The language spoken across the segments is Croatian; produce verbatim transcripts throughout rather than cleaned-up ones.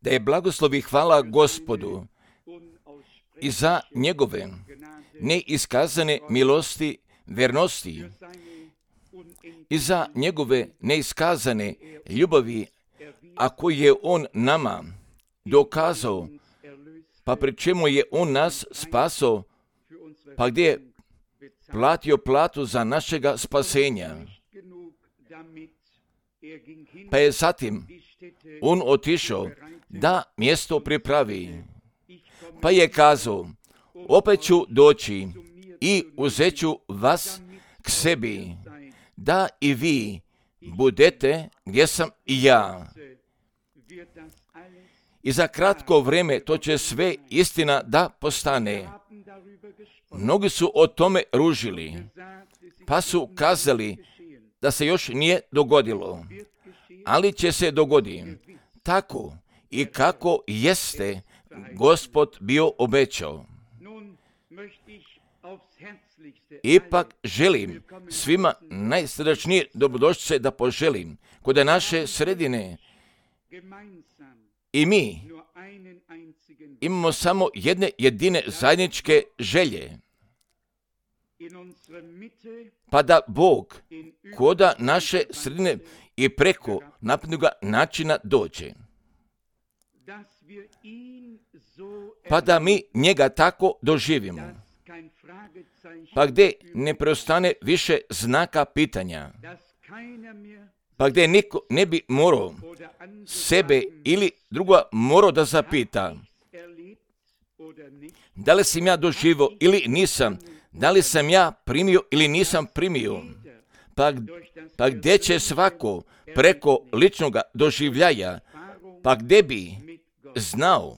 Da je blagoslov i hvala Gospodu i za njegove neiskazane milosti, vernosti i za njegove neiskazane ljubavi, a koje je on nama dokazao, pa pri čemu je on nas spasao, pa gdje je platio platu za našega spasenja. Pa je zatim on otišao da mjesto pripravi. Pa je kazao, opet ću doći i uzet ću vas k sebi, da i vi budete gdje sam i ja. I za kratko vrijeme to će sve istina da postane. Mnogi su o tome ružili, pa su kazali da se još nije dogodilo, ali će se dogoditi tako i kako jeste Gospod bio obećao. Ipak želim svima najsrdačnije dobrodošlice da poželim kod naše sredine. I mi imamo samo jedne jedine zajedničke želje, pa da Bog koda naše sredine i preko naprednoga načina dođe. Pa da mi njega tako doživimo. Pa gdje ne preostane više znaka pitanja. Pa gdje niko ne bi morao sebe ili druga morao da zapita da li sam ja doživio ili nisam, da li sam ja primio ili nisam primio. Pa, pa gdje će svako preko ličnoga doživljaja, pa gdje bi znao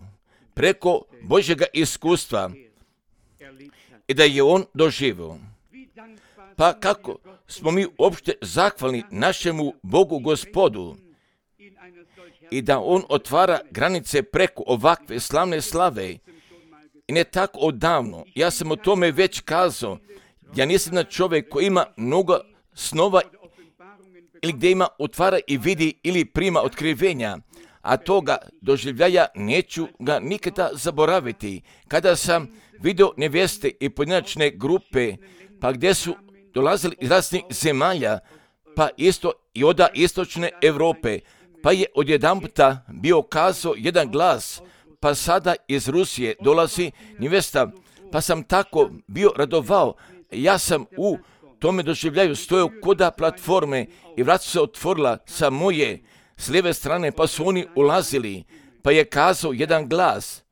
preko Božjega iskustva i da je on doživio. Pa kako smo mi uopšte zahvalni našemu Bogu Gospodu i da on otvara granice preko ovakve slavne slave. I ne tako odavno, ja sam o tome već kazao, ja nisam na čovjek koji ima mnogo snova ili gdje ima otvara i vidi ili prima otkrivenja, a toga doživljaja neću ga nikada zaboraviti. Kada sam vidio nevjeste i pojedinačne grupe, pa gdje su dolazili iz raznih zemalja, pa isto i od istočne Europe, pa je odjedanputa bio kazao jedan glas, pa sada iz Rusije dolazi nevjesta, pa sam tako bio radovao. Ja sam u tome doživljaju stojao koda platforme i vrata se otvorila sa moje s lijeve strane, pa su oni ulazili, pa je kazao jedan glas,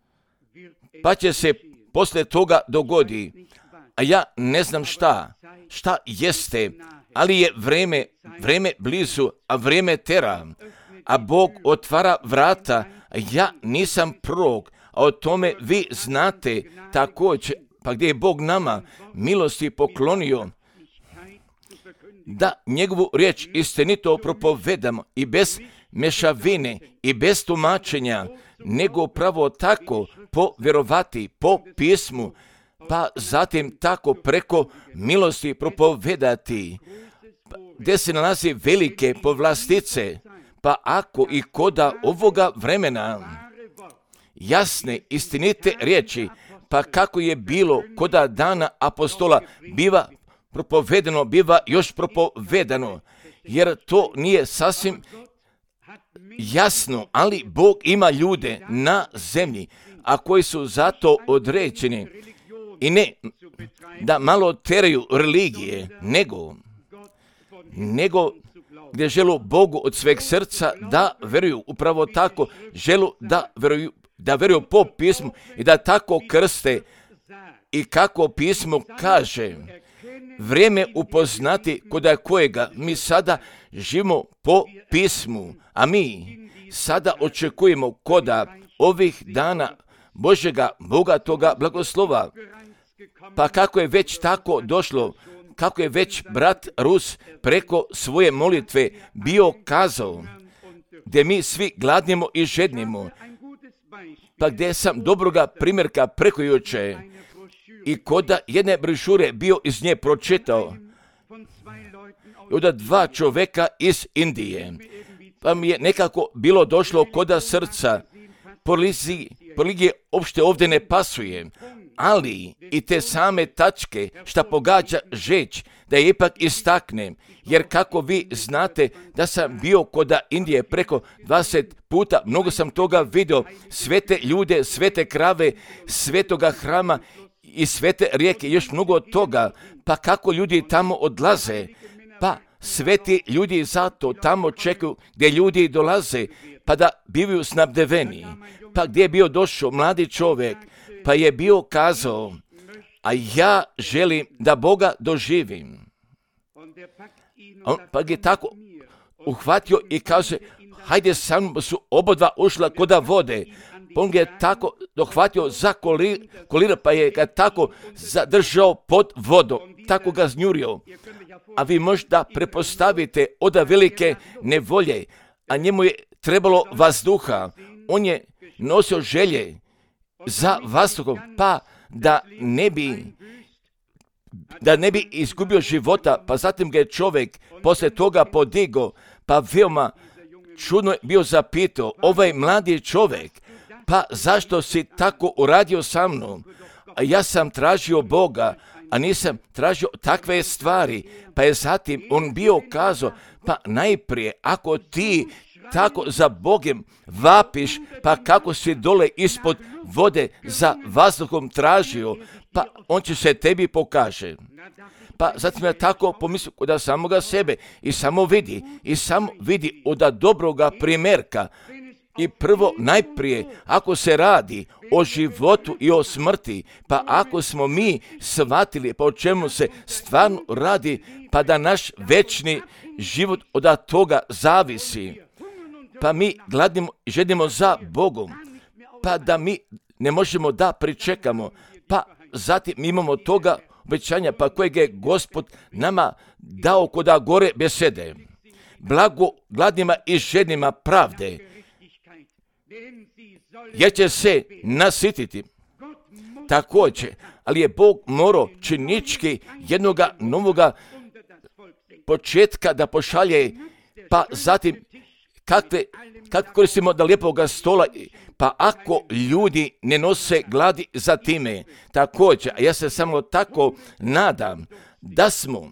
pa će se poslije toga dogodi, a ja ne znam šta, šta jeste, ali je vreme, vreme blizu, a vreme tera, a Bog otvara vrata, a ja nisam prorok, a o tome vi znate također, pa gdje je Bog nama milosti poklonio, da njegovu riječ istinito propovedamo i bez mešavine i bez tumačenja, nego pravo tako povjerovati po pismu, pa zatim tako preko milosti propovedati, gdje se nalazi velike povlastice, pa ako i koda ovoga vremena jasne, istinite riječi, pa kako je bilo koda dana apostola, biva propovedano, biva još propovedano, jer to nije sasvim jasno, ali Bog ima ljude na zemlji, a koji su zato određeni i ne da malo teraju religije, nego, nego gdje želu Bogu od sveg srca da veruju upravo tako, želu da veruju, da veruju po pismu i da tako krste i kako pismo kaže, vrijeme upoznati koda kojega mi sada živimo po pismu, a mi sada očekujemo koda ovih dana Božjega bogatoga blagoslova. Pa kako je već tako došlo, kako je već brat Rus preko svoje molitve bio kazao, gdje mi svi gladnimo i žednimo, pa gdje sam dobroga primjerka preko juče i koda jedne brošure bio iz nje pročitao, od dva čovjeka iz Indije, pa mi je nekako bilo došlo koda srca. Religije uopšte ovdje ne pasuje, ali i te same tačke šta pogađa žeć, da je ipak istaknem, jer kako vi znate da sam bio koda Indije preko dvadeset puta, mnogo sam toga vidio, svete ljude, svete krave, svetoga hrama i svete rijeke, još mnogo od toga, pa kako ljudi tamo odlaze, pa sveti ljudi zato tamo čekaju gdje ljudi dolaze, pa da bivaju snabdeveni. Pa gdje je bio došao mladi čovjek, pa je bio kazao, a ja želim da Boga doživim. On pa je tako uhvatio i kaže, hajde sam su obodva ušla koda vode. On je tako dohvatio za kolir, kolir, pa je ga tako zadržao pod vodom, tako ga znjurio. A vi možda prepostavite od velike nevolje, a njemu je trebalo vazduha. On je nosio želje za vazduhom, pa da ne bi da ne bi izgubio života, pa zatim ga je čovjek poslije toga podigao, pa veoma čudno je bio zapitao, ovaj mladi čovjek, pa zašto si tako uradio sa mnom? A ja sam tražio Boga, a nisam tražio takve stvari, pa je zatim on bio kazao, pa najprije ako ti tako za Bogem vapiš, pa kako si dole ispod vode za vazduhom tražio, pa on će se tebi pokaže. Pa zatim ja tako pomislio od samoga sebe i samo vidi, i samo vidi od dobroga primjerka. I prvo najprije, ako se radi o životu i o smrti, pa ako smo mi shvatili pa o čemu se stvarno radi, pa da naš večni život od toga zavisi, pa mi gladimo i žedimo za Bogom, pa da mi ne možemo da pričekamo, pa zatim mi imamo toga obećanja, pa kojeg je Gospod nama dao koda gore besede. Blago gladnima i žednima pravde, jer će se nasititi. Također, ali je Bog morao činički jednoga novoga početka da pošalje, pa zatim kakve, kako koristimo da lijepoga stola, pa ako ljudi ne nose gladi za time, također, a ja se samo tako nadam da smo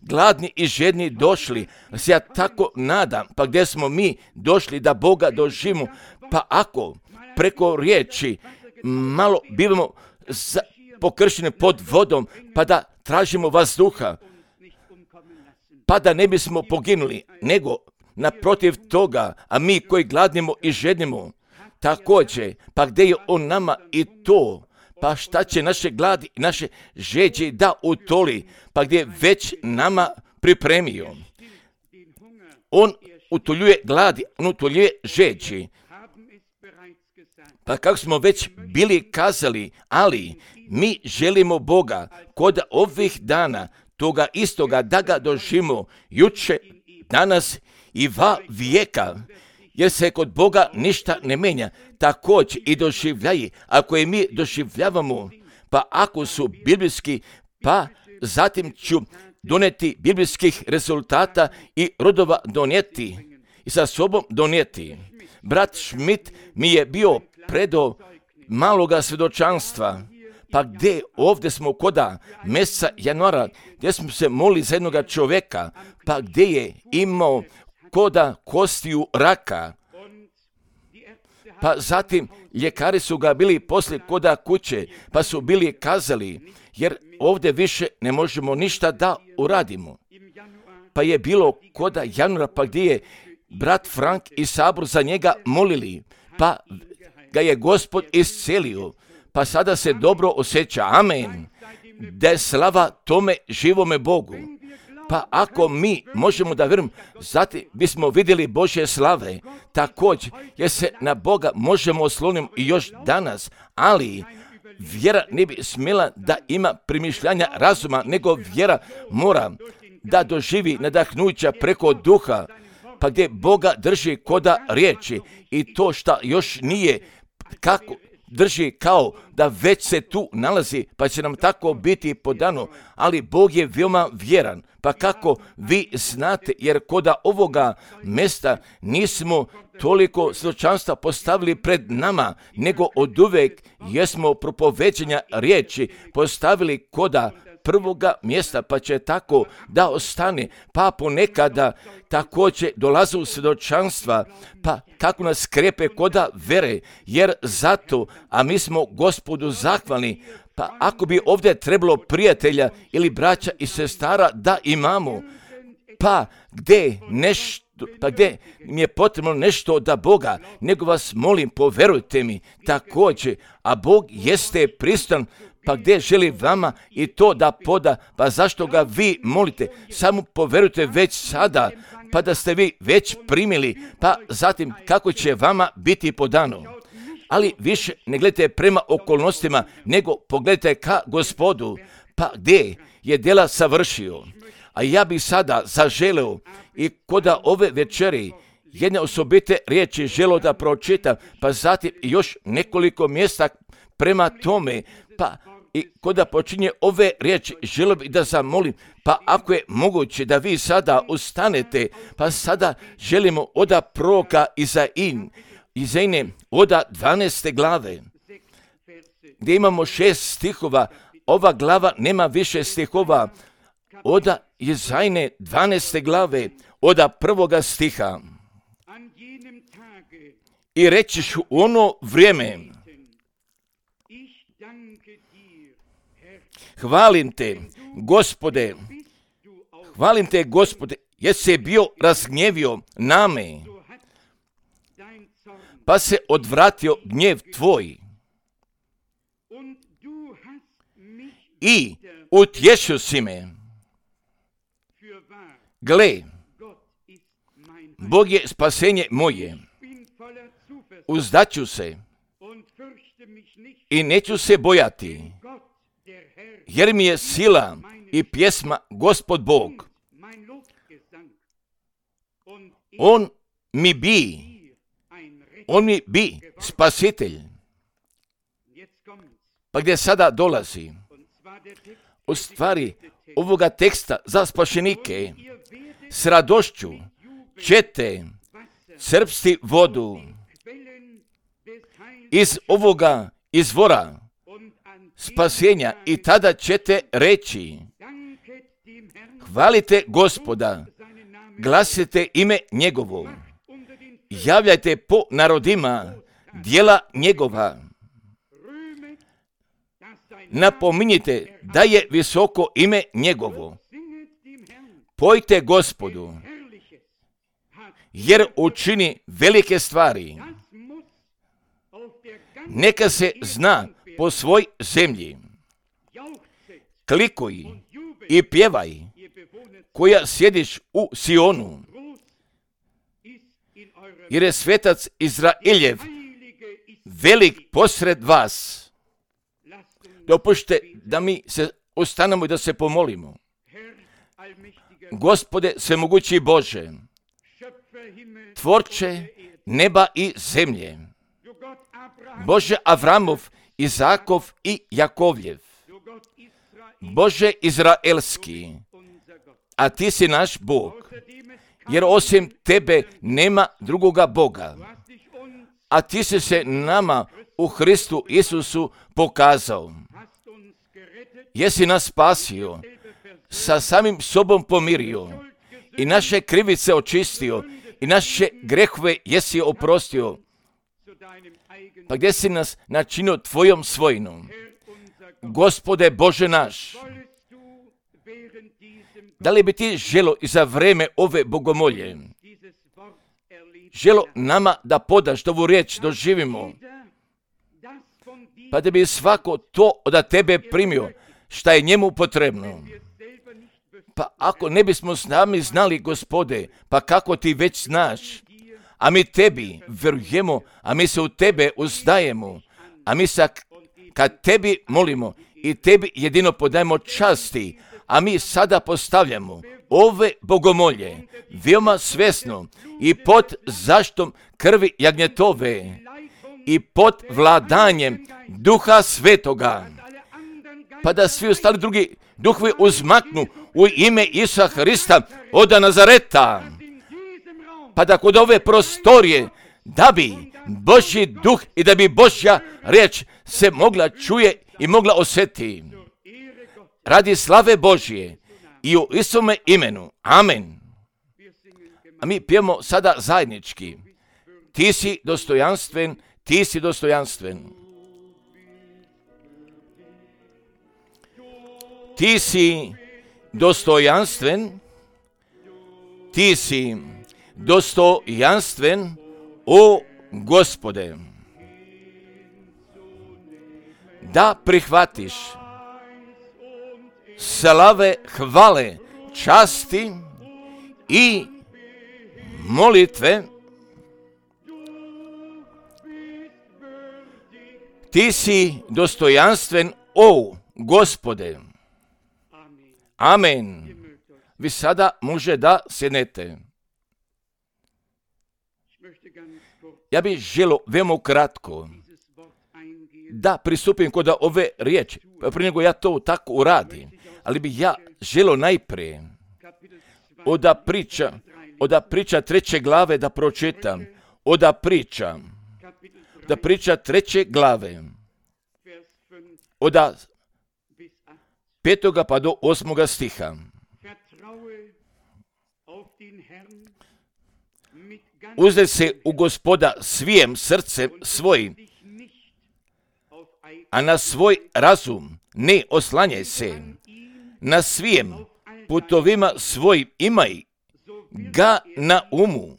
gladni i žedni došli, se ja tako nadam, pa gdje smo mi došli da Boga doživimo, pa ako preko riječi malo bivamo pokršeni pod vodom, pa da tražimo vazduha, pa da ne bismo poginuli, nego naprotiv toga, a mi koji gladnimo i žednimo, također, pa gdje je on nama i to, pa šta će naše gladi i naše žeđe da utoli, pa gdje je već nama pripremio. On utoljuje gladi, on utoljuje žeđe. Pa kako smo već bili kazali, ali mi želimo Boga kod ovih dana, toga istoga da ga doživimo juče, danas i va vijeka, jer se kod Boga ništa ne menja, također i doživljaji, ako je mi doživljavamo, pa ako su biblijski, pa zatim ću doneti biblijskih rezultata i rodova donijeti i sa sobom donijeti. Brat Schmidt mi je bio predao maloga svjedočanstva, pa gdje ovdje smo koda mjeseca januara, gdje smo se molili za jednoga čovjeka, pa gdje je imao koda kostiju raka, pa zatim ljekari su ga bili poslije koda kuće, pa su bili kazali, jer ovdje više ne možemo ništa da uradimo. Pa je bilo koda januara, pa gdje je brat Frank i sabor za njega molili, pa ga je Gospod iscelio, pa sada se dobro osjeća. Amen. Da je slava tome živome Bogu. Pa ako mi možemo da vjerujemo, zatim bismo vidjeli Božje slave. Također, jer se na Boga možemo osloniti i još danas, ali vjera ne bi smjela da ima primišljanja razuma, nego vjera mora da doživi nadahnuća preko duha, pa gdje Boga drži koda riječi i to šta još nije kako drži kao da već se tu nalazi, pa će nam tako biti podano, ali Bog je veoma vjeran. Pa kako vi znate, jer koda ovoga mjesta nismo toliko svjedočanstva postavili pred nama, nego oduvek jesmo propoveđenja riječi postavili koda prvoga mjesta, pa će tako da ostane, pa ponekada također dolaze u svjedočanstva, pa kako nas krepe koda vere, jer zato, a mi smo Gospodu zahvalni. Pa ako bi ovdje trebalo prijatelja ili braća i sestara da imamo, pa gdje nešto, pa gdje mi je potrebno nešto od Boga, nego vas molim, poverujte mi također, a Bog jeste prisutan, pa gdje želi vama i to da poda, pa zašto ga vi molite, samo poverujte već sada, pa da ste vi već primili, pa zatim kako će vama biti podano. Ali više ne gledajte prema okolnostima, nego pogledajte ka Gospodu, pa gdje je djela savršio. A ja bih sada zaželeo i koda ove večeri jedne osobite riječi želio da pročitam, pa zatim još nekoliko mjesta prema tome, pa i koda počinje ove riječi želio bih da zamolim, pa ako je moguće da vi sada ustanete, pa sada želimo oda proroka Izain, Izaine oda dvanaeste glave, gdje imamo šest stihova, ova glava nema više stihova, oda Izaine dvanaeste glave, oda prvoga stiha. I rećiš u ono vrijeme, hvalim te, Gospode, hvalim te, Gospode, jer si bio razgnjevio name, pa se odvratio gnjev tvoj i utješio si me. Gle, Bog je spasenje moje, uzdaću se i neću se bojati, jer mi je sila i pjesma Gospod Bog. On mi bi, on mi bi spasitelj. Pa gdje sada dolazi? U stvari ovoga teksta za spašenike s radošću ćete crpsti vodu iz ovoga izvora spasenja i tada ćete reći, hvalite Gospoda, glasite ime njegovo, javljajte po narodima djela njegova, napominjite da je visoko ime njegovo, pojte Gospodu, jer učini velike stvari. Neka se zna po svoj zemlji. Klikuj i pjevaj, koja sjediš u Sionu, jer je svetac Izraeljev velik posred vas. Dopušte da mi se ostanemo i da se pomolimo. Gospode svemogući Bože, tvorče neba i zemlje, Bože Avramov, Izakov i Jakovljev, Bože Izraelski, a ti si naš Bog, jer osim tebe nema drugoga Boga, a ti si se nama u Hristu Isusu pokazao. Jesi nas spasio, sa samim sobom pomirio i naše krivice očistio i naše grehove jesi oprostio. Pa gdje si nas načinio tvojom svojinom? Gospode Bože naš, da li bi ti želo i za vreme ove bogomolje, želo nama da podaš ovu riječ doživimo, pa da bi svako to od tebe primio šta je njemu potrebno. Pa ako ne bismo sami znali, Gospode, pa kako ti već znaš, a mi tebi vjerujemo, a mi se u tebe uzdajemo, a mi se kad tebi molimo i tebi jedino podajemo časti, a mi sada postavljamo ove bogomolje veoma svjesno i pod zaštom krvi jagnjetove i pod vladanjem Duha Svetoga, pa da svi ostali drugi duhovi uzmaknu u ime Isusa Hrista od Nazareta, pa da kod ove prostorije, da bi Božji duh i da bi Božja riječ se mogla čuje i mogla osjetiti. Radi slave Božje i u Isusovome imenu. Amen. A mi pijemo sada zajednički. Ti si dostojanstven, ti si dostojanstven. Ti si dostojanstven, ti si dostojanstven, o Gospode, da prihvatiš slave, hvale, časti i molitve. Ti si dostojanstven, o Gospode. Amen. Vi sada može da sjednete. Ja bih želio veoma kratko da pristupim kod ove riječi, prije nego ja to tako uradim, ali bih ja želio najprije od priča, od priča treće glave da pročitam, od priča, da priča treće glave, od petoga pa do osmoga stiha. Uzdaj se u Gospoda svijem srcem svojim, a na svoj razum ne oslanjaj se. Na svijem putovima svojim imaj ga na umu.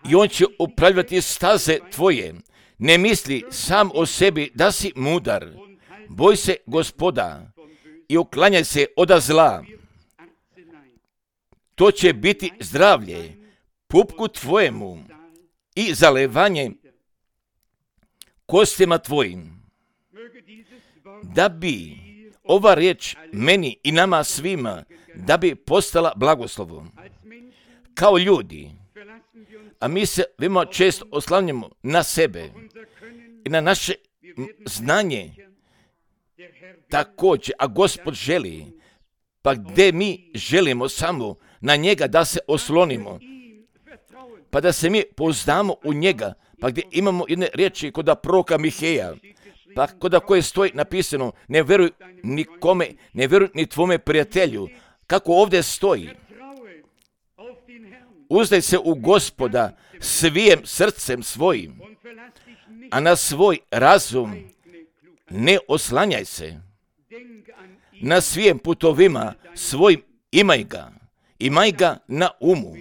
I on će upravljati staze tvoje. Ne misli sam o sebi da si mudar. Boj se Gospoda i uklanjaj se od zla. To će biti zdravlje pupku tvojemu i zalevanje kostima tvojim. Da bi ova riječ meni i nama svima, da bi postala blagoslovom. Kao ljudi, a mi se veoma često oslanjamo na sebe i na naše znanje također, a Gospod želi, pa gdje mi želimo samo na njega da se oslonimo, pa da se mi pouzdamo u njega, pa gdje imamo jedne riječi kod proroka Miheja, pa kod koje stoji napisano, ne vjeruj nikome, ne vjeruj ni tvome prijatelju, kako ovdje stoji. Uzdaj se u Gospoda svijem srcem svojim, a na svoj razum ne oslanjaj se. Na svijem putovima svojim imaj ga, imaj ga na umu.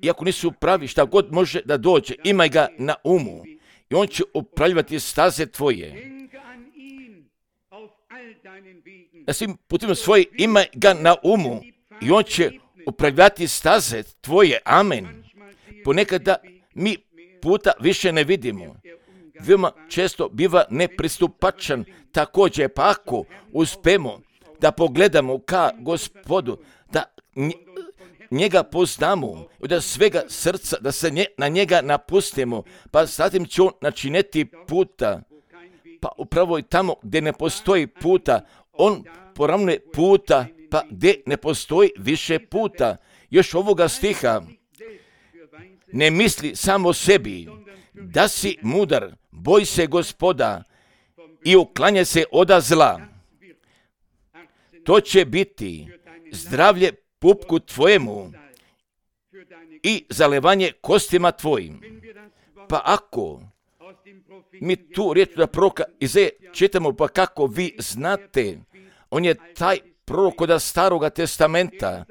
Iako nisu pravi, šta god može da dođe, imaj ga na umu. I on će upravljati staze tvoje. Na svim putovima svojim imaj ga na umu. I on će upravljati staze tvoje. Amen. Ponekada mi puta više ne vidimo. Veoma često biva nepristupačan također, pa ako uspemo da pogledamo ka Gospodu, da njega poznamo, da svega srca, da se nje, na njega napustimo, pa zatim će on načiniti puta, pa upravo i tamo gdje ne postoji puta, on poravnuje puta, pa gdje ne postoji više puta. Još ovoga stiha, ne misli samo sebi, da si mudar, boj se Gospoda i uklanjaj se od zla. To će biti zdravlje pupku tvojemu i zalevanje kostima tvojim. Pa ako mi tu riječ da proroka Izaije čitamo, pa kako vi znate, on je taj prorok kod Staroga testamenta,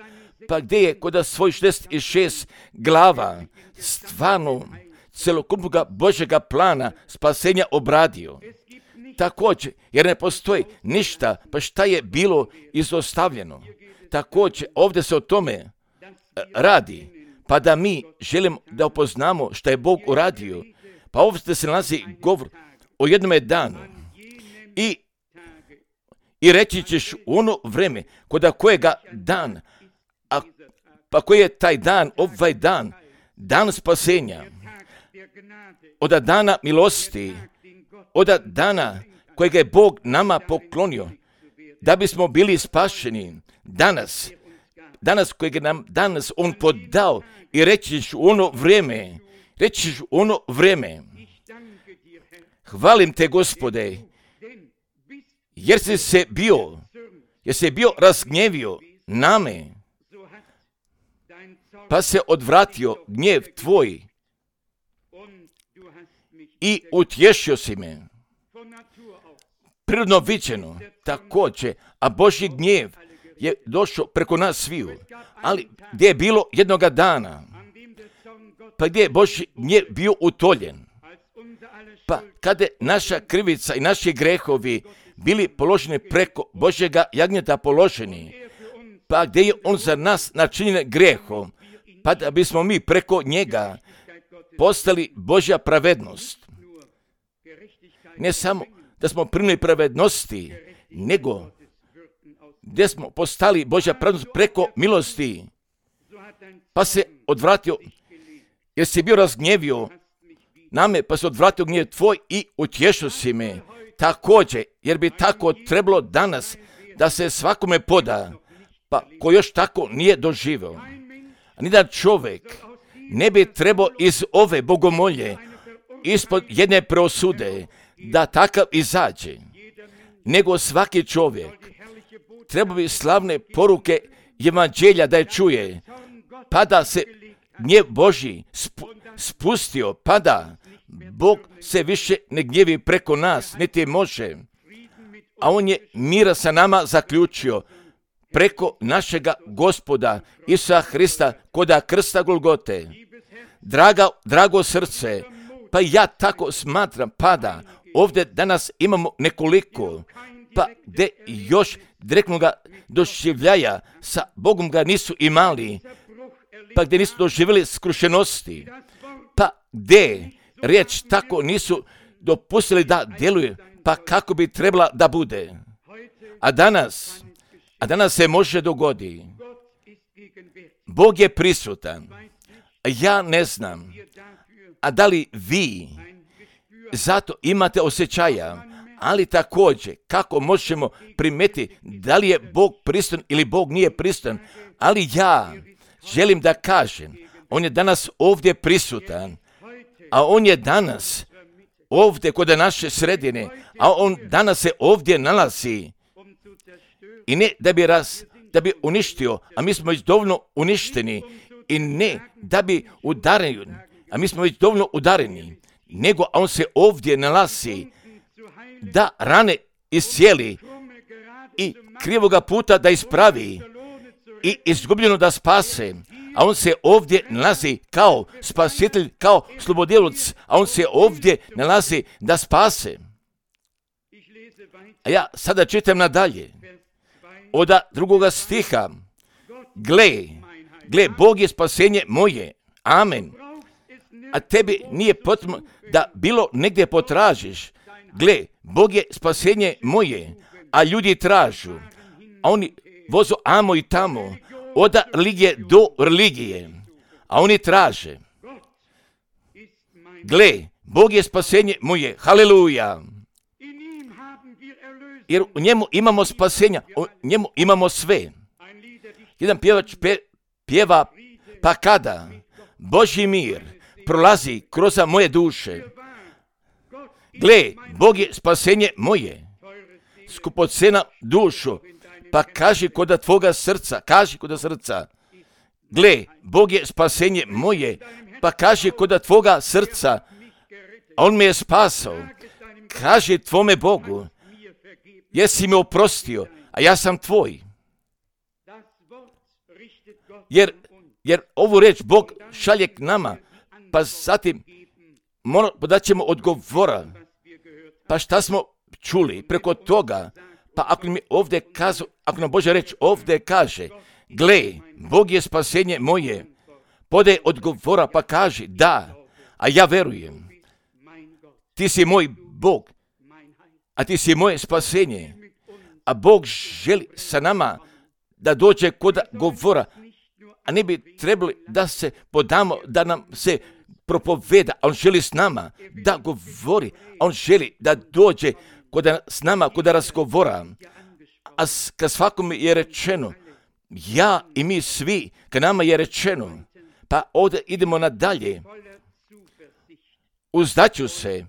pa gdje je kod svoj šezdeset šest glava stvarno celokupnog Božjega plana spasenja obradio. Također, jer ne postoji ništa, pa šta je bilo izostavljeno. Također, ovdje se o tome radi, pa da mi želimo da upoznamo šta je Bog uradio. Pa ovdje se nalazi govor o jednome danu. I, i reći ćeš u ono vreme, kod kojega dan, a, pa koji je taj dan, ovaj dan, dan spasenja, od dana milosti, od dana kojeg je Bog nama poklonio, da bismo bili spašeni danas, danas kojeg je nam danas On podao i rećiš u ono vrijeme, rećiš u ono vrijeme, hvalim te, Gospode, jer si se bio, jer si bio razgnjevio name, pa se odvratio gnjev tvoj i utješio si me. Prirodno viđeno, također, a Božji gnjev je došao preko nas sviju, ali gdje je bilo jednoga dana, pa gdje je Božji gnjev bio utoljen, pa kada je naša krivica i naši grehovi bili položeni preko Božjega jagnjeta položeni, pa gdje je On za nas načinjen grehom, pa da bismo mi preko njega postali Božja pravednost. Ne samo da smo primili pravednosti, nego gdje smo postali Božja pravednost preko milosti, pa se odvratio, jer si bio razgnjevio name, pa se odvratio gnjev tvoj i utješio si me. Također, jer bi tako trebalo danas da se svakome poda, pa ko još tako nije doživio. Nijedan čovjek ne bi trebao iz ove bogomolje, ispod jedne preosude, da takav izađe, nego svaki čovjek treba bi slavne poruke evanđelja da je čuje, pa da se gnjev Božji spustio, pa da Bog se više ne gnjevi preko nas, niti može, a On je mira sa nama zaključio preko našega Gospoda Isusa Hrista koda krsta Golgote. Draga, drago srce, pa ja tako smatram, pa da ovdje danas imamo nekoliko, pa gdje još direktnoga doživljaja sa Bogom ga nisu imali, pa gdje nisu doživjeli skrušenosti, pa gdje riječ tako nisu dopustili da djeluje, pa kako bi trebala da bude. A danas, a danas se može dogodi. Bog je prisutan. Ja ne znam, a da li vi zato imate osjećaja, ali također kako možemo primetiti da li je Bog prisutan ili Bog nije prisutan, ali ja želim da kažem, On je danas ovdje prisutan, a On je danas ovdje kod naše sredine, a On danas se ovdje nalazi i ne da bi, raz, da bi uništio, a mi smo već dovoljno uništeni, i ne da bi udareni, a mi smo već dovoljno udareni, nego On se ovdje nalazi da rane iscijeli i krivoga puta da ispravi i izgubljeno da spase, a On se ovdje nalazi kao spasitelj, kao slobodjeloc, a On se ovdje nalazi da spase. A ja sada čitam nadalje, od drugoga stiha, gle, gle, Bog je spasenje moje, amen, a tebi nije potrebno da bilo negdje potražiš, gle, Bog je spasenje moje, a ljudi tražu, a oni vozu amo i tamo, od religije do religije, a oni traže, gle, Bog je spasenje moje, haleluja, jer u njemu imamo spasenja, u njemu imamo sve. Jedan pjevač pe, pjeva, pa kada Božji mir prolazi kroz moje duše, gle, Bog je spasenje moje, skupocena dušu, pa kaži koda tvoga srca, kaži koda srca, gle, Bog je spasenje moje, pa kaži koda tvoga srca, a On me je spasao, kaži tvome Bogu, jesi me oprostio, a ja sam tvoj. Jer, jer ovu reč Bog šalje k nama, pa zatim da ćemo odgovora. Pa šta smo čuli preko toga? Pa ako mi ovdje kazu, ako nam Božja reč ovdje kaže, gle, Bog je spasenje moje, podaj odgovora pa kaži, da, a ja verujem. Ti si moj Bog, a ti si moje spasenje. A Bog želi sa nama da dođe kod govora, a ne bi trebali da se podamo, da nam se propoveda, a on želi s nama da govori, a on želi da dođe koda, s nama kod razgovora, a kad svakome je rečeno, ja i mi svi, kad nama je rečeno, pa ovdje idemo nadalje, uzdaću se,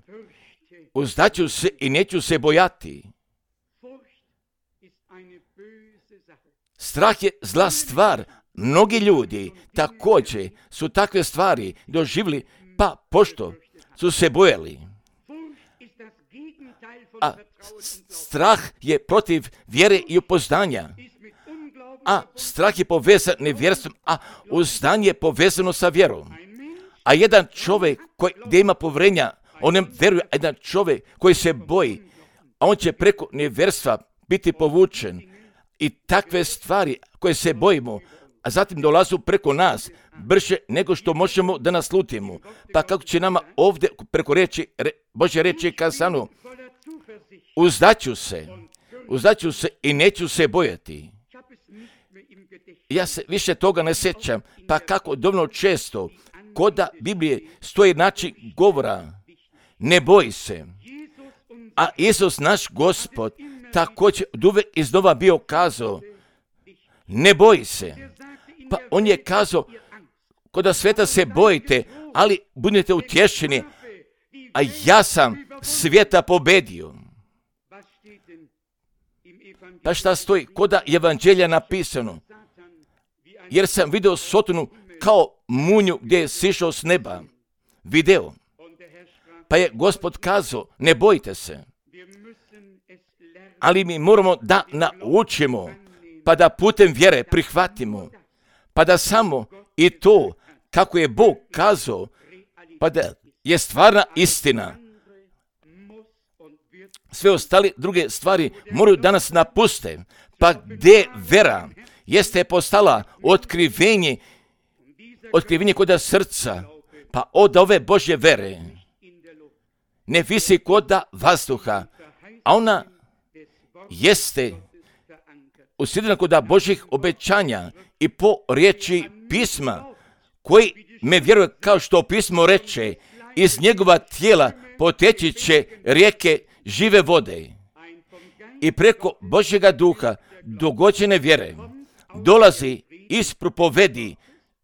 uzdaću se i neću se bojati. Strah je zla stvar. Mnogi ljudi također su takve stvari doživjeli, pa pošto su se bojali. A strah je protiv vjere i upoznanja. A strah je povezan nevjerstvom, a uzdanje je povezano sa vjerom. A jedan čovjek koji gdje ima povjerenja, on ne vjeruje, a jedan čovjek koji se boji, a on će preko nevjerstva biti povučen. I takve stvari koje se bojimo, a zatim dolazu preko nas, brže nego što možemo da naslutimo. Pa kako će nama ovdje preko reči, re, Božje reči kazano, uzdaću se, uzdaću se i neću se bojati. Ja se više toga ne sjećam, pa kako dovoljno često, koda Biblije stoji način govora, ne boji se. A Isus naš Gospod također uvijek iznova bio kazao, ne boji se. Pa on je kazao, koda sveta se bojite, ali budete utješeni, a ja sam svijeta pobedio. Pa šta stoji koda evanđelja napisano? Jer sam vidio Sotonu kao munju gdje je sišao s neba. Video. Pa je Gospod kazao, ne bojite se. Ali mi moramo da naučimo, pa da putem vjere prihvatimo, pa da samo i to, kako je Bog kazao, pa da je stvarna istina. Sve ostale druge stvari moraju danas napuste, pa gdje vera jeste postala otkrivenje, otkrivenje koda srca, pa od ove Božje vere ne visi koda vazduha, a ona jeste usidrena koda Božjih obećanja i po riječi pisma, koji me vjeruje kao što pismo reče, iz njegova tijela poteći će rijeke žive vode. I preko Božjega duha dogođene vjere dolazi iz propovedi,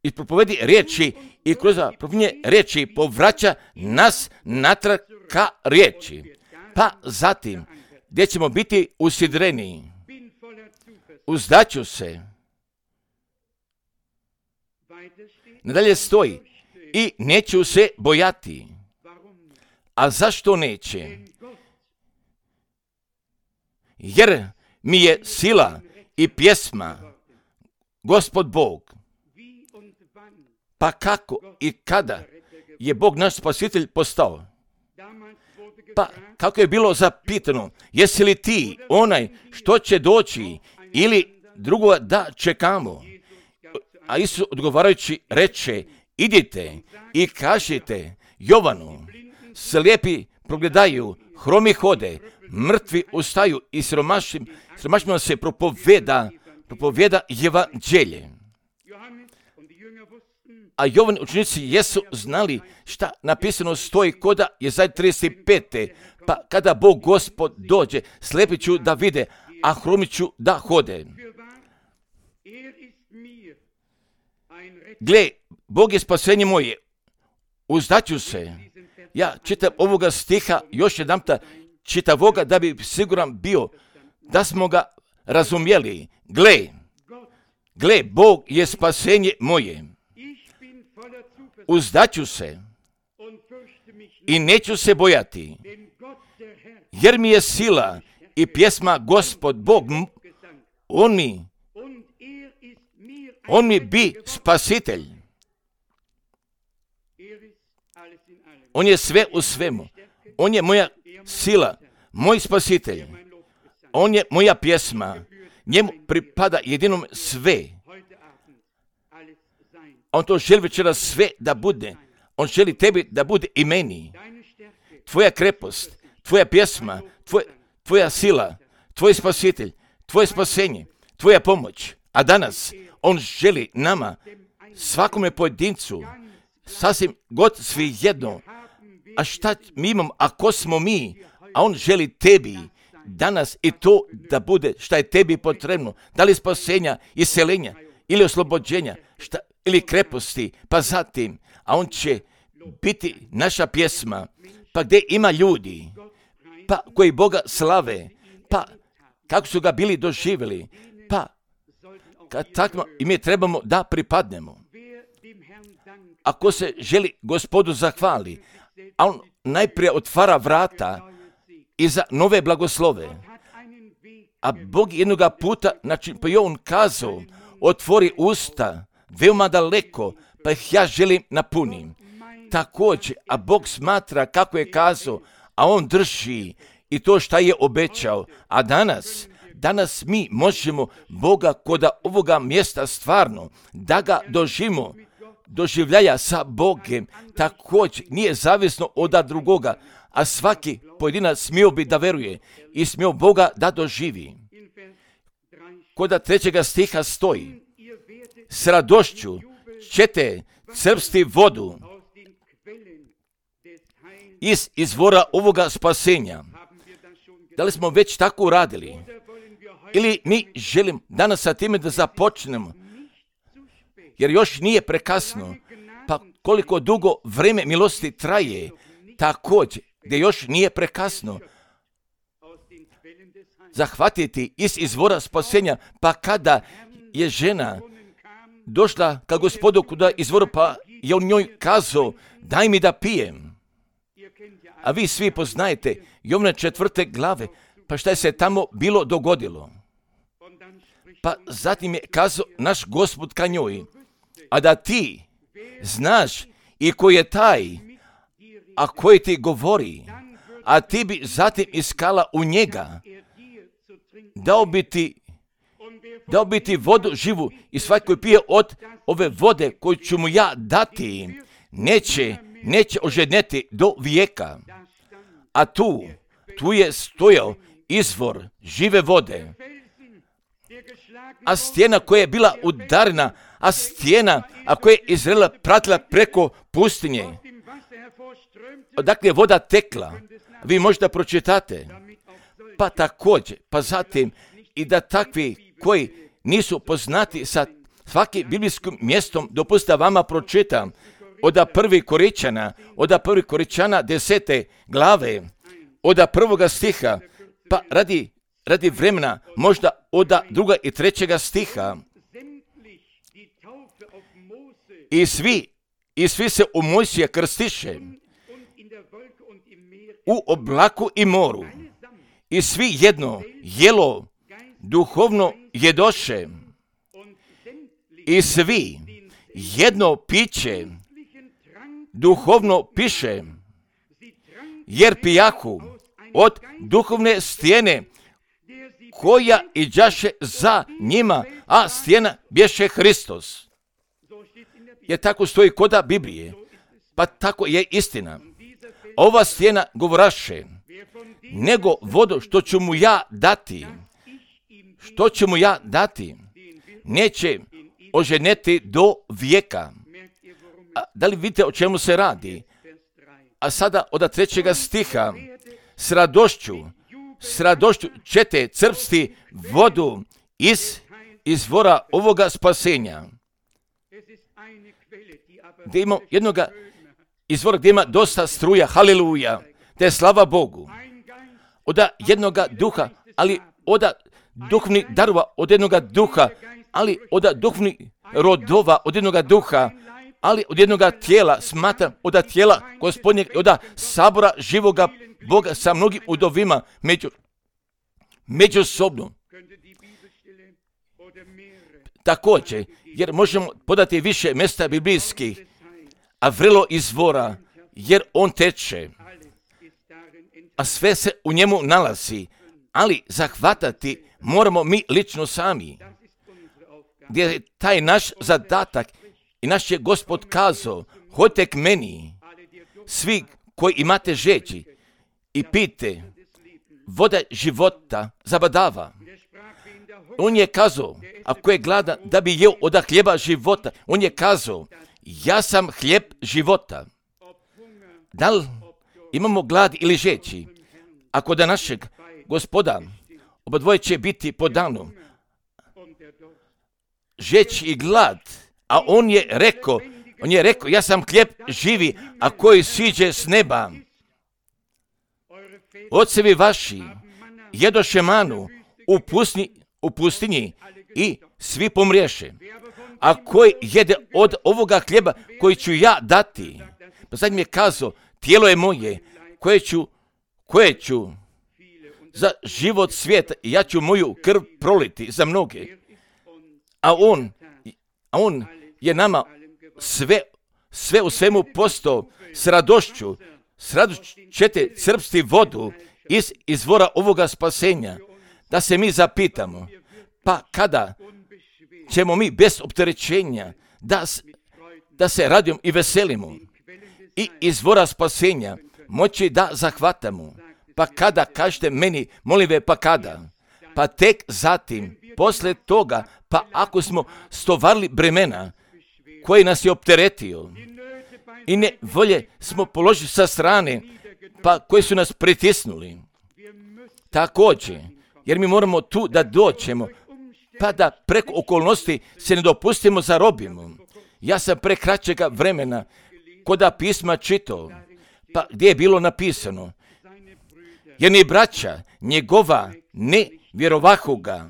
iz propovedi riječi i kroz propovjedne riječi povraća nas natrag ka riječi. Pa zatim, gdje ćemo biti usidreni, uzdaću se. Nadalje stoji, i neću se bojati. A zašto neće? Jer mi je sila i pjesma Gospod Bog. Pa kako i kada je Bog naš spasitelj postao? Pa kako je bilo zapitano, jesi li ti onaj što će doći ili drugo da čekamo? A Isus odgovarajući reče, idite i kažite Jovanu, slijepi progledaju, hromi hode, mrtvi ustaju i siromašnim, siromašnima se propoveda, propoveda evanđelje. A Jovan učenici jesu znali šta napisano stoji koda Jesaja trideset pet. Pa kada Bog Gospod dođe, slijepi ću da vide, a hromi ću da hode. Gle, Bog je spasenje moje, uzdaću se. Ja čitam ovoga stiha još jedanputa čitavoga da bi siguran bio da smo ga razumjeli. Gle, gle, Bog je spasenje moje. Uzdaću se i neću se bojati, jer mi je sila i pjesma Gospod Bog. On mi, on mi bi spasitelj. On je sve u svemu. On je moja sila, moj spasitelj. On je moja pjesma. Njemu pripada jedinom sve. On to želi večeras sve da bude. On želi tebi da bude i meni. Tvoja krepost, tvoja pjesma, tvoj, tvoja sila, tvoj spasitelj, tvoje spasenje, tvoja pomoć. A danas on želi nama svakome pojedincu, sasvim god svejedno, a šta mi imamo, a ko smo mi, a on želi tebi danas i to da bude šta je tebi potrebno, da li spasenja, iseljenja ili oslobođenja, šta, ili kreposti, pa zatim, a on će biti naša pjesma, pa gdje ima ljudi, pa koji Boga slave, pa kako su ga bili doživjeli, pa kad takvo i mi trebamo da pripadnemo. Ako se želi Gospodu zahvali, a on najprije otvara vrata i za nove blagoslove, a Bog jednoga puta, znači pa je on kazao, otvori usta veoma daleko, pa ih ja želim napunim. Također, a Bog smatra kako je kazao, a on drži i to šta je obećao. A danas, danas mi možemo Boga koda ovoga mjesta stvarno, da ga doživimo, doživljaja sa Bogem, također nije zavisno od drugoga, a svaki pojedinac smio bi da veruje i smio Boga da doživi. Koda trećega stiha stoji, s radošću ćete crpsti vodu iz izvora ovoga spasenja. Da li smo već tako uradili? Ili mi želim danas sa time da započnemo? Jer još nije prekasno. Pa koliko dugo vrijeme milosti traje, također, gdje još nije prekasno. Zahvatiti iz izvora spasenja, pa kada je žena došla ka Gospodu kuda izvora, pa je on njoj kazao, daj mi da pijem. A vi svi poznajete Jovne četvrte glave, pa šta je se tamo bilo dogodilo? Pa zatim je kazao naš Gospod ka njoj, a da ti znaš i ko je taj, a koji ti govori, a ti bi zatim iskala u njega, dao bi ti, dao bi ti vodu živu i svaki koji pije od ove vode koju ću mu ja dati, neće, neće ožedneti do vijeka. A tu, tu je stojao izvor žive vode. A stijena koja je bila udarena, a stijena, a koja je Izraela pratila preko pustinje, odakle je voda tekla, vi možete pročitate. Pa također, pa zatim i da takvi koji nisu poznati sa svakim biblijskim mjestom, dopustite vama pročitam od prvi Koričana, od prvi Koričana desete glave, od prvoga stiha, pa radi, radi vremena možda od druga i trećega stiha. I svi, i svi se u Mojsija krstiše u oblaku i moru. I svi jedno jelo duhovno jedoše. I svi jedno piće duhovno piše, jer pijahu od duhovne stijene koja iđaše za njima, a stijena bješe Hristos. Jer tako stoji koda Biblije, pa tako je istina. Ova stijena govoraše, nego vodu što ću mu ja dati, što ću mu ja dati, neće oženeti do vijeka. A da li vidite o čemu se radi? A sada od trećega stiha, s radošću, s radošću ćete crpsti vodu iz izvora ovoga spasenja. Gdje ima jednoga izvora gdje ima dosta struja, haleluja, te slava Bogu. Od jednoga duha, ali od duhovnih darova, od jednoga duha, ali od duhovnih rodova, od jednoga duha, ali od jednoga tijela, smatram, od tijela Gospodnjeg, od sabora živoga Boga sa mnogim udovima među, međusobno. Također, jer možemo podati više mjesta biblijskih, a vrlo izvora, jer on teče, a sve se u njemu nalazi, ali zahvatati moramo mi lično sami, gdje je taj naš zadatak i naš je Gospod kazao, hodite k meni, svi koji imate žeđi i pijte, voda života zabadava. On je kazao, ako je gladan, da bi jeo od hljeba života. On je kazao, ja sam hljeb života. Da li imamo glad ili žeći? Ako da našeg Gospoda, obadvoje će biti po danu. Žeć i glad, a on je rekao, on je rekao, ja sam hljeb živi, a koji siđe s neba. Ocevi vaši jedoše manu u pustinji, u pustinji i svi pomriješe. A koji jede od ovoga hljeba koji ću ja dati, pa sad mi je kazao, tijelo je moje, koje ću, koje ću za život svijeta, i ja ću moju krv proliti za mnoge. A on, a on je nama sve, sve u svemu postao s radošću, s radošću ćete crpsti vodu iz izvora ovoga spasenja, da se mi zapitamo, pa kada ćemo mi bez opterećenja da, da se radimo i veselimo i izvora spasenja moći da zahvatamo. Pa kada, kažete meni, molive, pa kada? Pa tek zatim, posle toga, pa ako smo stovarili bremena koji nas je opteretio i ne volje smo položili sa strane, pa koji su nas pritisnuli. Također, jer mi moramo tu da doćemo, pa da preko okolnosti se ne dopustimo zarobimo. Ja sam pre kraćega vremena koda pisma čitao, pa gdje je bilo napisano, jer ni braća njegova ne vjerovahu ga.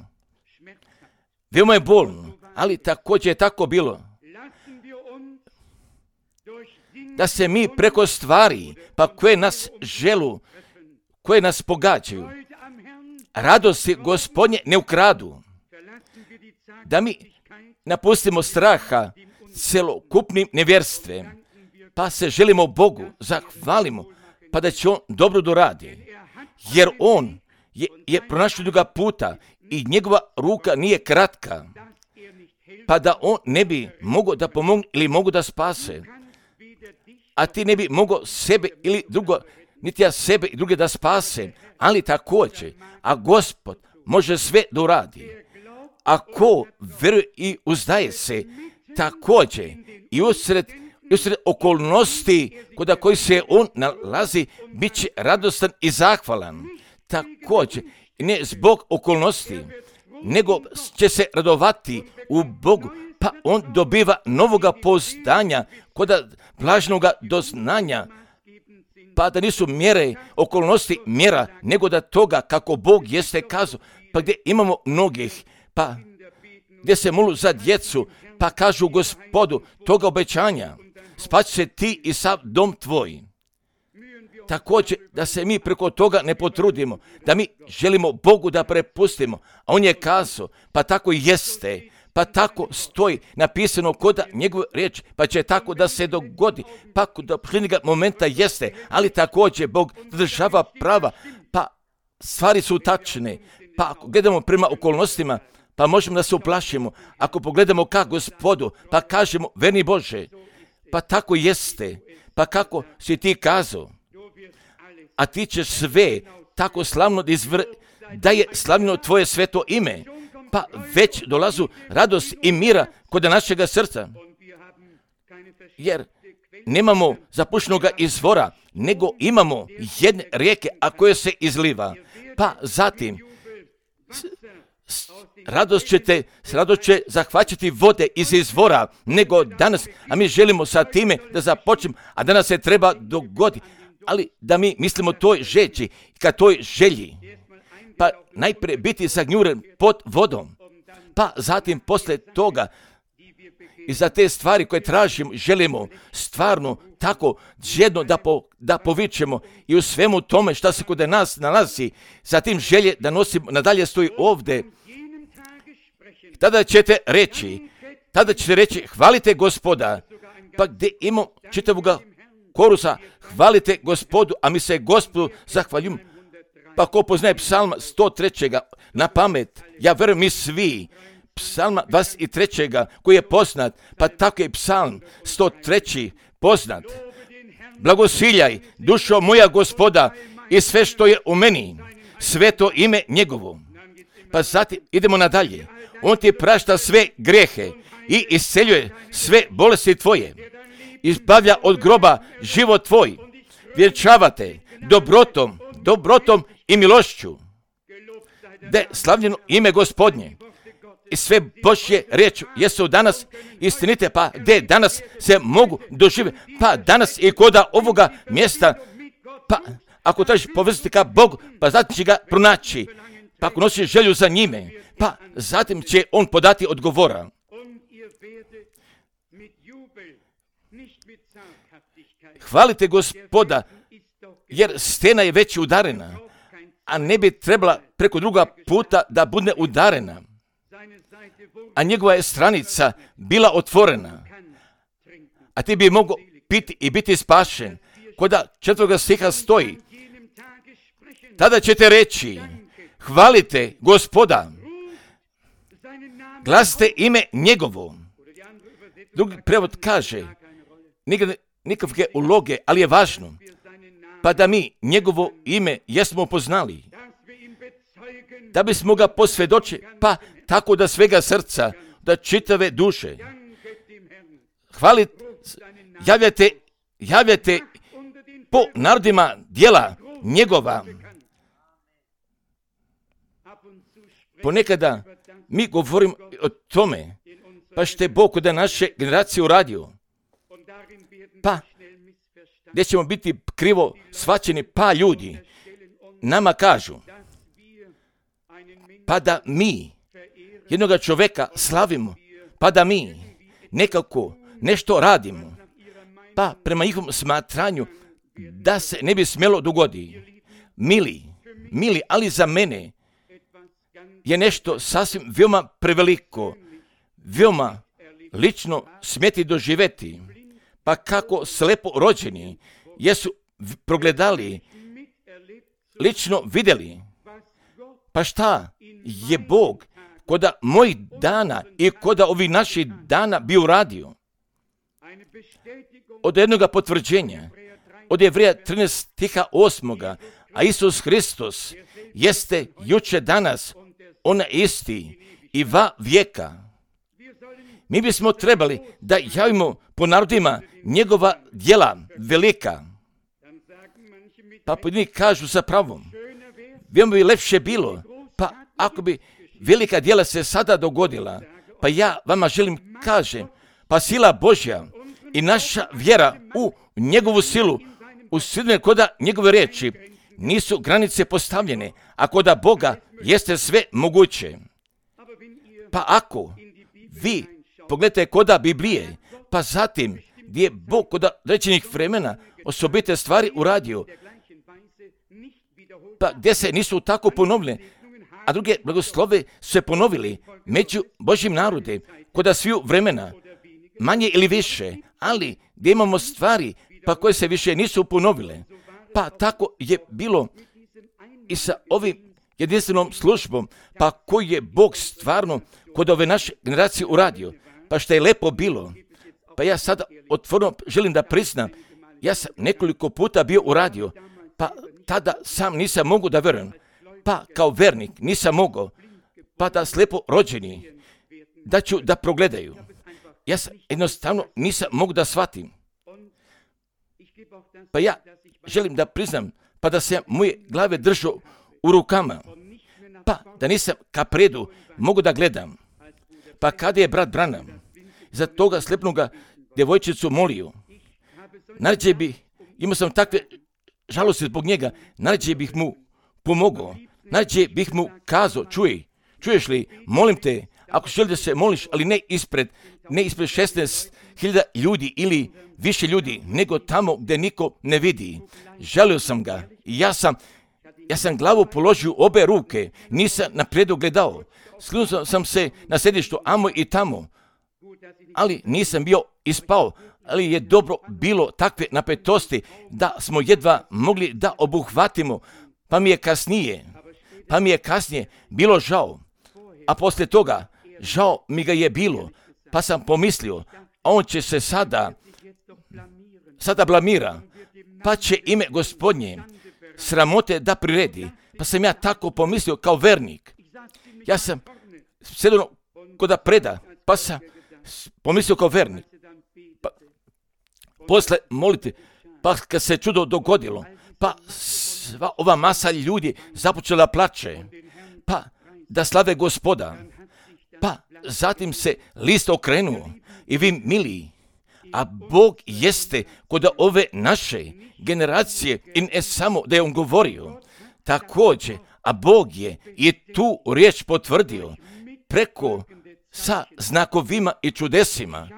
Veoma je bolno, ali također je tako bilo. Da se mi preko stvari, pa koje nas želu, koje nas pogađaju, radosti Gospodnje ne ukradu. Da mi napustimo straha celokupnim nevjerstvom, pa se želimo Bogu, zahvalimo, pa da će On dobro doradi. Jer On je, je pronašao druga puta i njegova ruka nije kratka, pa da On ne bi mogao da pomogne ili mogu da spase. A ti ne bi mogao sebe ili drugo, niti ja sebe i druge da spase, ali također, a Gospod može sve da uradi. Ako veruje i uzdaje se, također i usred, usred okolnosti kod koji se on nalazi, bit će radostan i zahvalan. Također, ne zbog okolnosti, nego će se radovati u Bogu, pa on dobiva novoga pouzdanja kod blažnoga doznanja, pa da nisu mjere, okolnosti mjera, nego da toga kako Bog jeste kazao, pa gdje imamo mnogih, pa gdje se molu za djecu, pa kažu Gospodu toga obećanja, spaći se ti i sav dom tvoj. Također da se mi preko toga ne potrudimo, da mi želimo Bogu da prepustimo, a on je kazao, pa tako jeste, pa tako stoji napisano kod njegove riječi, pa će tako da se dogodi, pa kod posljednjega momenta jeste, ali također Bog država prava, pa stvari su tačne, pa ako gledamo prema okolnostima, pa možemo da se uplašimo, ako pogledamo ka Gospodu, pa kažemo, verni Bože, pa tako jeste, pa kako si ti kazao, a ti ćeš sve tako slavno izvr... da je slavno tvoje sveto ime, pa već dolazu radost i mira kod našega srca, jer nemamo zapušnoga izvora, nego imamo jedne rijeke, a koje se izliva, pa zatim s, s, radost ćete, s radost će zahvaćati vode iz izvora, nego danas, a mi želimo sa time da započnemo, a danas se treba dogoditi, ali da mi mislimo toj žeći, ka toj želji, pa najprije biti zagnjuren pod vodom, pa zatim posle toga i za te stvari koje tražimo, želimo stvarno tako žedno da, po, da povičemo i u svemu tome što se kod nas nalazi, zatim želje da nosimo, nadalje stoji ovdje, tada ćete reći, tada ćete reći, hvalite Gospoda, pa gdje imamo čitavoga korusa, hvalite Gospodu, a mi se Gospodu zahvaljujemo. Pa ko poznaje psalma sto tri. na pamet, ja verujem mi svi, psalma dvadeset tri. koji je poznat, pa tako je psalm sto tri. poznat. Blagosiljaj, dušo moja Gospoda, i sve što je u meni, sveto ime njegovo. Pa zatim idemo nadalje. On ti prašta sve grijehe i isceljuje sve bolesti tvoje. Izbavlja od groba život tvoj. Vjenčavate dobrotom, dobrotom i milošću. Da je slavljeno ime Gospodnje. I sve Božje riječi jesu danas istinite, pa gdje danas se mogu doživjeti, pa danas i koda ovoga mjesta, pa ako tražiš povezati ka Bogu, pa zatim će ga pronaći, pa ako nosiš želju za njime, pa zatim će on podati odgovora. Hvalite Gospoda, jer stena je već udarena, a ne bi trebala preko druga puta da bude udarena. A njegova je stranica bila otvorena, a ti bi mogao piti i biti spašen. Koda četvrtoga stiha stoji, tada ćete reći, hvalite Gospoda, glasite ime njegovo. Drugi prevod kaže, nikakve uloge, ali je važno, pa da mi njegovo ime jesmo poznali, da bismo ga posvjedočili, pa tako da svega srca, da čitave duše. Hvalite, javljate, javljate po narodima djela njegova. Ponekada mi govorimo o tome, pa što je Bog da naše generacije uradio. Pa, gdje ćemo biti krivo shvaćeni, pa ljudi nama kažu, pa da mi jednoga čovjeka slavimo, pa da mi nekako nešto radimo, pa prema njihovom smatranju da se ne bi smjelo dogodi. Mili, mili, ali za mene je nešto sasvim veoma preveliko, veoma lično smjeti doživjeti, pa kako slepo rođeni jesu progledali, lično vidjeli, pa šta je Bog koda mojih dana i koda ovih naših dana bi uradio. Od jednoga potvrđenja, od Jevreja trinaest stiha osmoga, a Isus Hristos jeste juče danas, on isti i va vijeka. Mi bismo trebali da javimo po narodima njegova djela velika. Pa pojedini kažu sa pravom, veoma bi lepše bilo, pa ako bi velika djela se sada dogodila, pa ja vama želim kažem, pa sila Božja i naša vjera u njegovu silu, u silne koda njegove riječi, nisu granice postavljene, a koda Boga jeste sve moguće. Pa ako vi pogledajte koda Biblije, pa zatim gdje je Bog koda rečenih vremena osobite stvari uradio, pa gdje se nisu tako ponovile, a druge blagoslove su se ponovili među Božjim narode, koda sviju vremena, manje ili više, ali gdje imamo stvari pa koje se više nisu ponovile. Pa tako je bilo i sa ovim jedinstvenom službom, pa koji je Bog stvarno kod ove naše generacije uradio, pa što je lepo bilo. Pa ja sada otvoreno želim da priznam, ja sam nekoliko puta bio uradio, pa tada sam nisam mogu da verujem, pa kao vernik nisam mogao, pa da slepo rođeni, da ću da progledaju. Ja sam jednostavno nisam mogu da shvatim. Pa ja želim da priznam, pa da se moje glave držao u rukama, pa da nisam ka predu mogu da gledam. Pa kada je brat Branham za toga slepnoga djevojčicu molio, nađe bih, imao sam takve žalosti zbog njega, nađe bih mu pomogao, nađe bih mu kazao, čuj, čuješ li, molim te, ako želi da se moliš, ali ne ispred, ne ispred šesnaest hiljada ljudi ili više ljudi, nego tamo gdje niko ne vidi. Želio sam ga i ja sam, ja sam glavu položio obe ruke, nisam naprijed gledao. Slunio sam se na sedištu amo i tamo, ali nisam bio ispao, ali je dobro bilo takve napetosti da smo jedva mogli da obuhvatimo, pa mi je kasnije, pa mi je kasnije bilo žao, a poslije toga žao mi ga je bilo, pa sam pomislio, a on će se sada, sada blamira, pa će ime Gospodnje sramote da priredi, pa sam ja tako pomislio kao vernik. Ja sam sjedno koda preda, pa sam pomislio kao vernik. Pa, posle moliti, pa kad se čudo dogodilo, pa sva ova masa ljudi započela plače, pa da slave Gospoda, pa zatim se list okrenuo i vi mili, a Bog jeste kod ove naše generacije i ne samo da je on govorio, također, a Bog je i tu riječ potvrdio preko sa znakovima i čudesima.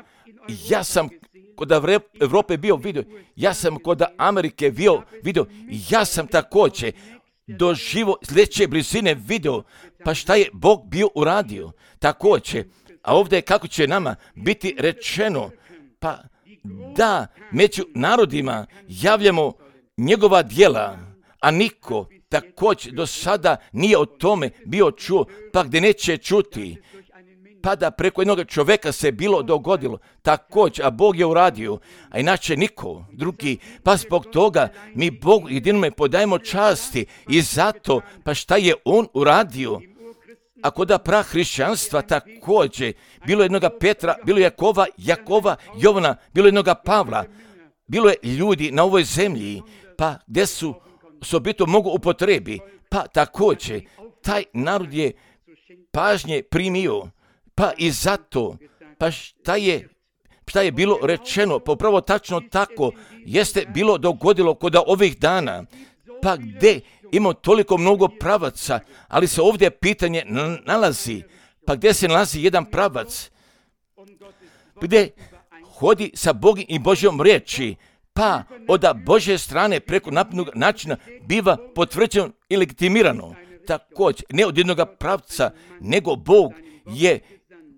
Ja sam kod Evrope bio vidio, ja sam kod Amerike bio vidio, ja sam također doživo sljedeće blizine video, pa šta je Bog bio uradio također. A ovdje kako će nama biti rečeno, pa da među narodima javljamo njegova djela, a niko također do sada nije o tome bio čuo, pa gdje neće čuti, pa da preko jednog čovjeka se bilo dogodilo, također, a Bog je uradio, a inače niko drugi, pa zbog toga mi Bogu jedinome podajemo časti i zato, pa šta je on uradio, ako da prah hrišćanstva također, bilo jednoga Petra, bilo Jakova, Jakova, Jovana, bilo jednoga Pavla, bilo je ljudi na ovoj zemlji, pa gdje su sobito mogu upotrebi, pa također, taj narod je pažnje primio, pa i zato, pa šta je, šta je bilo rečeno, pa upravo tačno tako, jeste bilo dogodilo kod ovih dana, pa gdje ima toliko mnogo pravaca, ali se ovdje pitanje nalazi, pa gdje se nalazi jedan pravac, gdje hodi sa Bogom i Božjom riječi, pa od Božje strane preko napisanog načina biva potvrđeno i legitimirano. Također, ne od jednog pravca, nego Bog je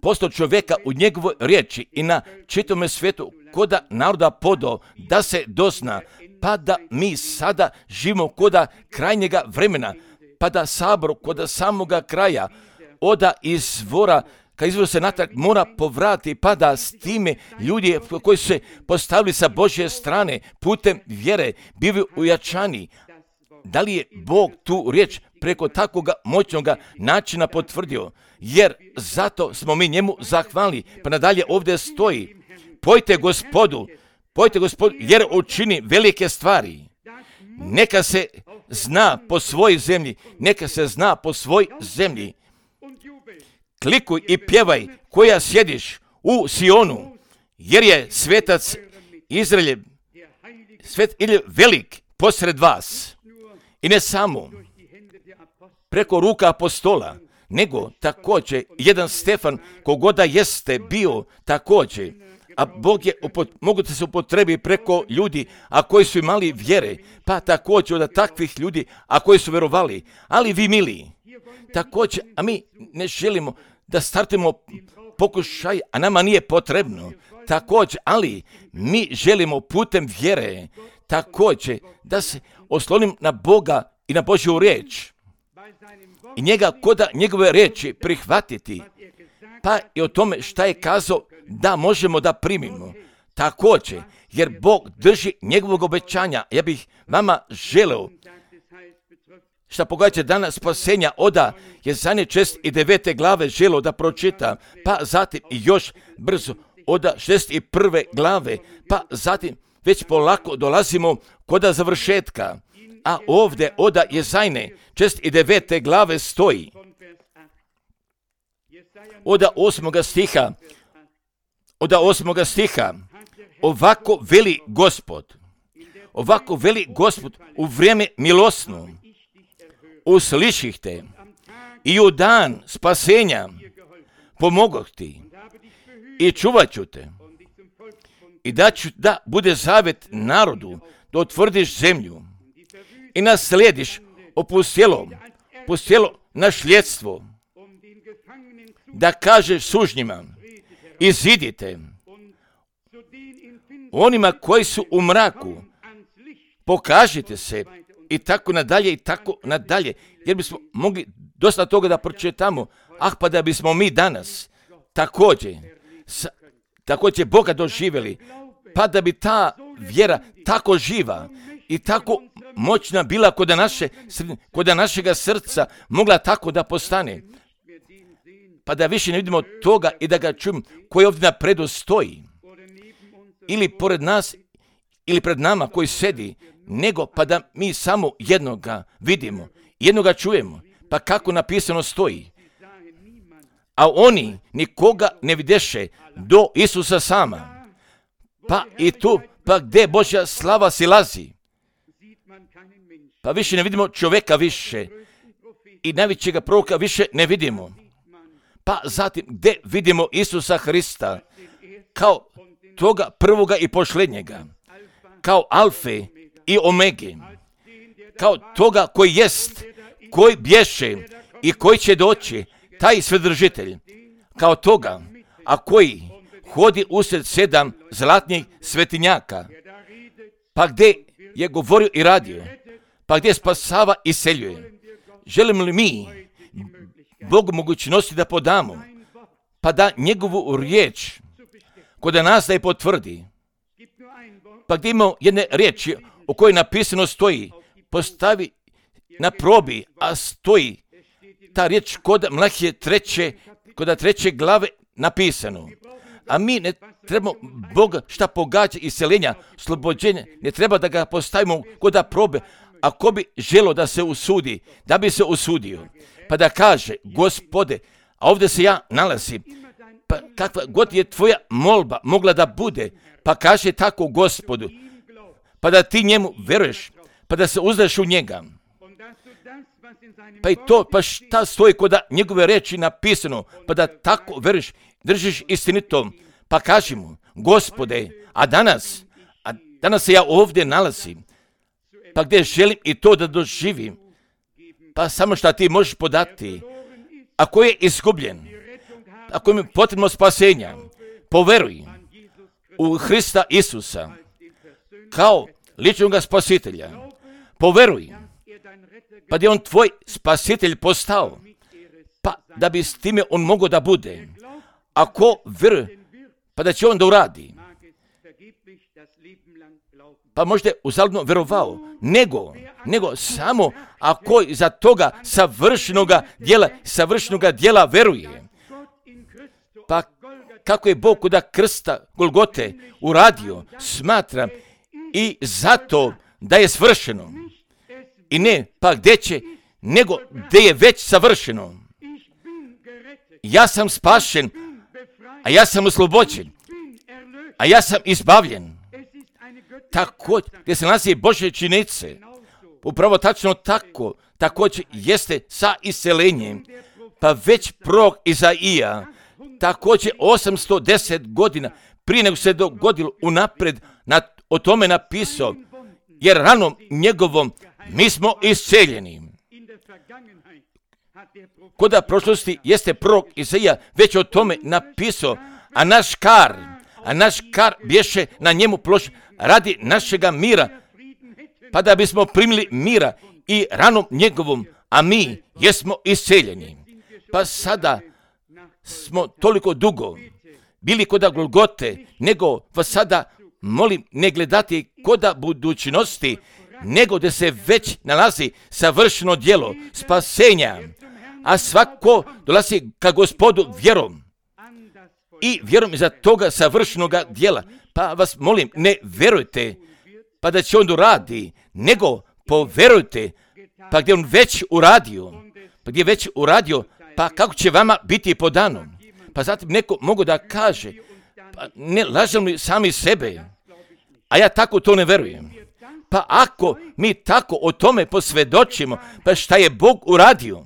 postao čovjeka u njegovoj riječi i na čitome svijetu koda naroda podao da se dozna, pa da mi sada živimo koda krajnjega vremena, pa da sabor koda samoga kraja oda izvora, kad izvor se natrag mora povrati, pa da s time ljudi koji su se postavili sa Božje strane putem vjere bivaju ujačani. Da li je Bog tu riječ preko takvog moćnog načina potvrdio? Jer zato smo mi njemu zahvalni. Pa nadalje ovdje stoji, pojte Gospodu, pojte Gospodu, jer učini velike stvari. Neka se zna po svojoj zemlji, neka se zna po svoj zemlji. Klikuj i pjevaj koja sjediš u Sionu, jer je svetac Izraeljev, svet Izraeljev velik posred vas. I ne samo preko ruka apostola, nego također jedan Stefan kogoda jeste bio također, a Bog je mogu da se upotrebi preko ljudi, a koji su imali vjere, pa također od takvih ljudi, a koji su verovali. Ali vi mili, također, a mi ne želimo da startimo pokušaj, a nama nije potrebno. Također, ali mi želimo putem vjere također da se oslonim na Boga i na Božju riječ i njega koda njegove riječi prihvatiti, pa i o tome šta je kazao da možemo da primimo. Također, jer Bog drži njegovog obećanja. Ja bih vama želeo šta pogledajte danas spasenja oda Jezanje šezdeset i devete glave želeo da pročita, pa zatim i još brzo oda šezdeset prve glave, pa zatim već polako dolazimo koda završetka. A ovdje oda Jezajne šezdeset i devete glave stoji. Oda osmoga stiha, oda osmoga stiha, ovako veli Gospod, ovako veli Gospod u vrijeme milosno, usliših te i u dan spasenja pomogoh ti i čuvat ću te i da ću da bude zavet narodu da utvrdiš zemlju i naslediš opustjelo, opustjelo našljedstvo, da kažeš sužnjima, izidite onima koji su u mraku, pokažite se i tako nadalje i tako nadalje, jer bismo mogli dosta toga da pročitamo, ah pa da bismo mi danas također, sa, također Boga doživjeli, pa da bi ta vjera tako živa i tako moćna bila kod naše, kod našega srca mogla tako da postane. pa da više ne vidimo toga i da ga čujemo koji ovdje napredu stoji, ili pored nas, ili pred nama koji sedi, nego pa da mi samo jednoga vidimo, jednoga čujemo, pa kako napisano stoji. A oni nikoga ne videše do Isusa sama. Pa i tu, pa gdje Božja slava silazi, pa više ne vidimo čovjeka više i najvećega proroka više ne vidimo. Pa zatim gdje vidimo Isusa Hrista kao toga prvoga i posljednjega, kao alfe i omege, kao toga koji jest, koji bješe i koji će doći, taj svedržitelj, kao toga, a koji hodi usred sedam zlatnih svetinjaka, pa gdje je govorio i radio, pa gdje spasava i seljuje. Želimo li mi Bogu mogućnosti da podamo, pa da njegovu riječ kod nas da je potvrdi, pa gdje imamo jedne riječi o kojoj napisano stoji, postavi na probi, a stoji ta riječ kod Mlahije treće, kod treće glave napisano. A mi ne trebamo Boga šta pogađa iseljenja, slobođenja, ne treba da ga postavimo kod probe, ako bi želo da se usudi, da bi se usudio, pa da kaže, Gospode, a ovdje se ja nalazim, pa kakva god je tvoja molba mogla da bude, pa kaže tako Gospodu, pa da ti njemu veruješ, pa da se uzdaš u njega. Pa i to, pa šta stoji kod njegove reči napisano, pa da tako veruješ, držiš istinitom, pa kaži mu, Gospode, a danas, a danas se ja ovdje nalazim, pa gdje želim i to da doživim, pa samo šta ti možeš podati, ako je izgubljen, ako je potrebno spasenja, poveruj u Hrista Isusa kao ličnog spasitelja, poveruj, pa da je on tvoj spasitelj postao, pa da bi s time on mogao da bude. Ako veruje, pa da će on da uradi, pa možda je uzaludno verovao, nego, nego samo ako za toga savršenoga djela, savršenoga djela veruje. Pa kako je Bog kod krsta Golgote uradio, smatram, i zato da je svršeno. I ne, pa gdje će, nego gdje je već savršeno. Ja sam spašen, a ja sam oslobođen, a ja sam izbavljen. Tako, gdje se nalazi Božje činice, upravo tačno tako, također jeste sa iselenjem, pa već prorok Izaija, također osamsto deset godina prije nego se dogodilo unapred, na, o tome napisao, jer ranom njegovom mi smo isceljeni. Koda prošlosti jeste prorok Izaija već o tome napisao, a naš kar, a naš kar bješe na njemu plošen radi našega mira, pa da bismo primili mira i ranom njegovom, a mi jesmo isceljeni. Pa sada smo toliko dugo bili koda Golgote, nego vas sada molim ne gledati koda budućnosti, nego da se već nalazi savršeno djelo spasenja, a svako dolazi ka Gospodu vjerom i vjerom iza toga savršenoga djela. Pa vas molim, ne verujte pa da će on uradi, nego poverujte, pa gdje on već uradio, pa gdje je već uradio, pa kako će vama biti podano. Pa zatim neko mogu da kaže, pa ne lažem li sami sebe, a ja tako to ne verujem. Pa ako mi tako o tome posvjedočimo, pa šta je Bog uradio,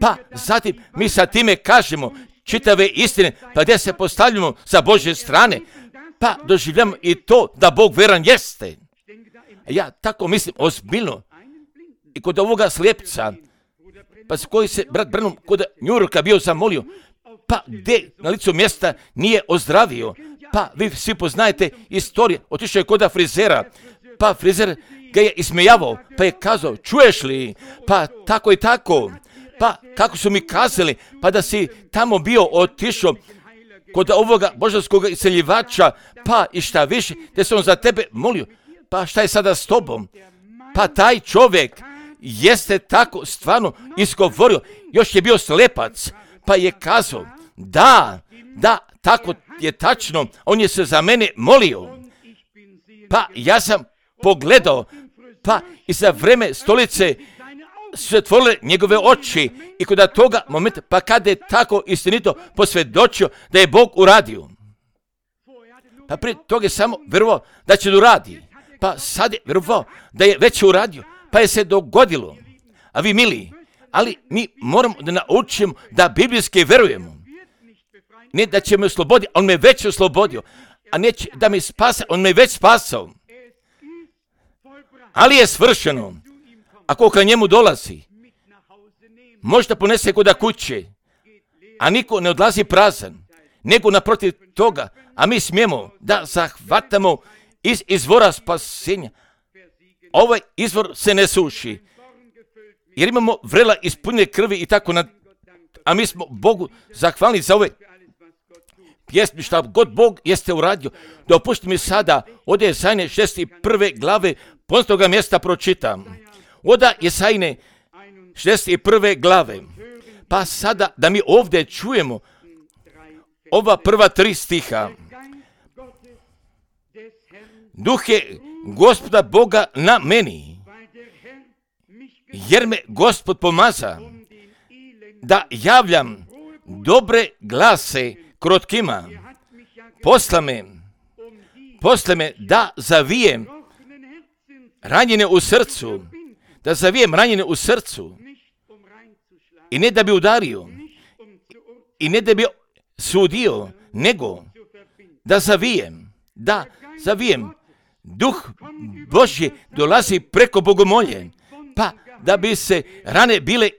pa zatim mi sa time kažemo čitave istine, pa gdje se postavljamo sa Božje strane, pa doživljamo i to da Bog veran jeste. Ja tako mislim ozbiljno i kod ovoga slijepca, pa s koji se brat Branham kod Njurka bio zamolio, pa gdje na licu mjesta nije ozdravio, pa vi svi poznajete istoriju, otišao je kod frizera, pa frizer ga je ismejavao, pa je kazao, čuješ li, pa tako i tako, pa kako su mi kazali, pa da si tamo bio otišao kod ovoga božanskog iseljivača, pa i šta više, da se on za tebe molio, pa šta je sada s tobom? Pa taj čovjek jeste tako stvarno izgovorio, još je bio slepac, pa je kazao, da, da, tako je tačno, on je se za mene molio. Pa ja sam pogledao, pa i za vreme stolice su se otvorile njegove oči i kod toga momenta, pa kada je tako istinito posvjedočio da je Bog uradio. Pa prije toga je samo vjerovao da će da uradi. Pa sad je vjerovao da je već uradio, pa je se dogodilo. A vi mili, ali mi moramo da naučimo da biblijski vjerujemo. Ne da će me osloboditi, on me već oslobodio, a neće da me spasa, on me već spasao. Ali je svršeno. Ako ka njemu dolazi, možda ponese kuda kuće, a niko ne odlazi prazan, nego naprotiv toga, a mi smijemo da zahvatamo iz izvora spasenja. Ovaj izvor se ne suši, jer imamo vrela ispunjene krvi i tako, na, a mi smo Bogu zahvalni za ove pjesmi, šta god Bog jeste uradio. Dopusti mi sada, od Jesajne šezdeset prve glave, poznatoga mjesta pročitam. Od Jesajne šezdeset prve glave. Pa sada da mi ovdje čujemo ova prva tri stiha. Duh je Gospoda Boga na meni, jer me Gospod pomaza da javljam dobre glase krotkima. Posla me, posla me da zavijem ranjene u srcu, da zavijem ranjene u srcu i ne da bi udario i ne da bi sudio, nego da zavijem, da zavijem. Duh Božji dolazi preko bogomolje, pa da bi se rane bile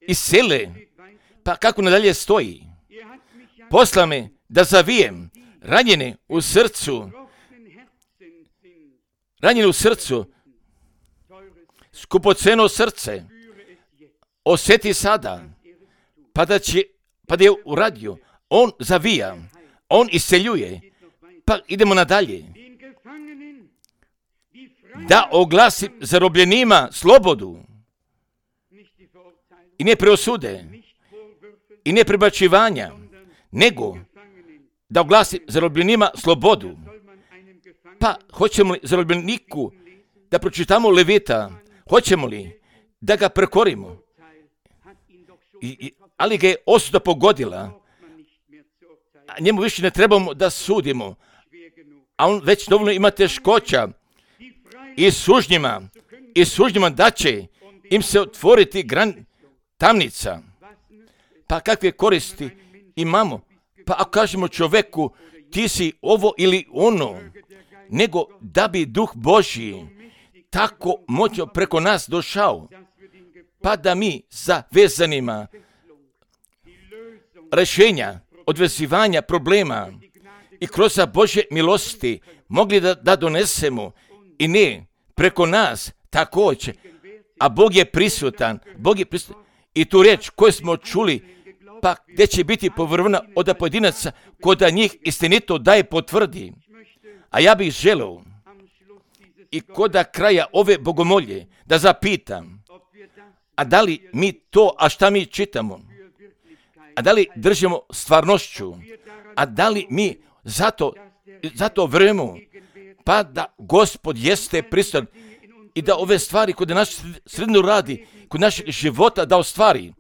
iscele. Pa kako nadalje stoji? Posla me da zavijem ranjene u srcu, ranjene u srcu, skupoceno srce, osjeti sada, pa da će, pa da je uradio, on zavija, on isceljuje, pa idemo nadalje. Da oglasim zarobljenima slobodu i ne preosude i ne prebačivanja, nego da oglasim zarobljenima slobodu. Pa hoćemo li zarobljeniku da pročitamo Levita, hoćemo li da ga prekorimo? I, i, ali ga je osuda pogodila, a njemu više ne trebamo da sudimo, a on već dovoljno ima teškoća i sužnjima, i sužnjima da će im se otvoriti gran tamnica. Pa kakve koristi imamo? Pa ako kažemo čoveku, ti si ovo ili ono, nego da bi Duh Božji tako moćno preko nas došao, pa da mi sa vezanima rješenja, odvezivanja problema i kroz Božje milosti mogli da, da donesemo i ne preko nas također, a Bog je prisutan, Bog je prisutan. I tu riječ koju smo čuli, pa gdje će biti povrvna od pojedinaca, koda njih istinito daje potvrdi. A ja bih želeo i koda kraja ove bogomolje da zapitam, a da li mi to, a šta mi čitamo, a da li držimo stvarnošću, a da li mi zato, zato vremo, pa da Gospod jeste prisutan i da ove stvari kod naš sredinu radi, kod našeg života da ostvari.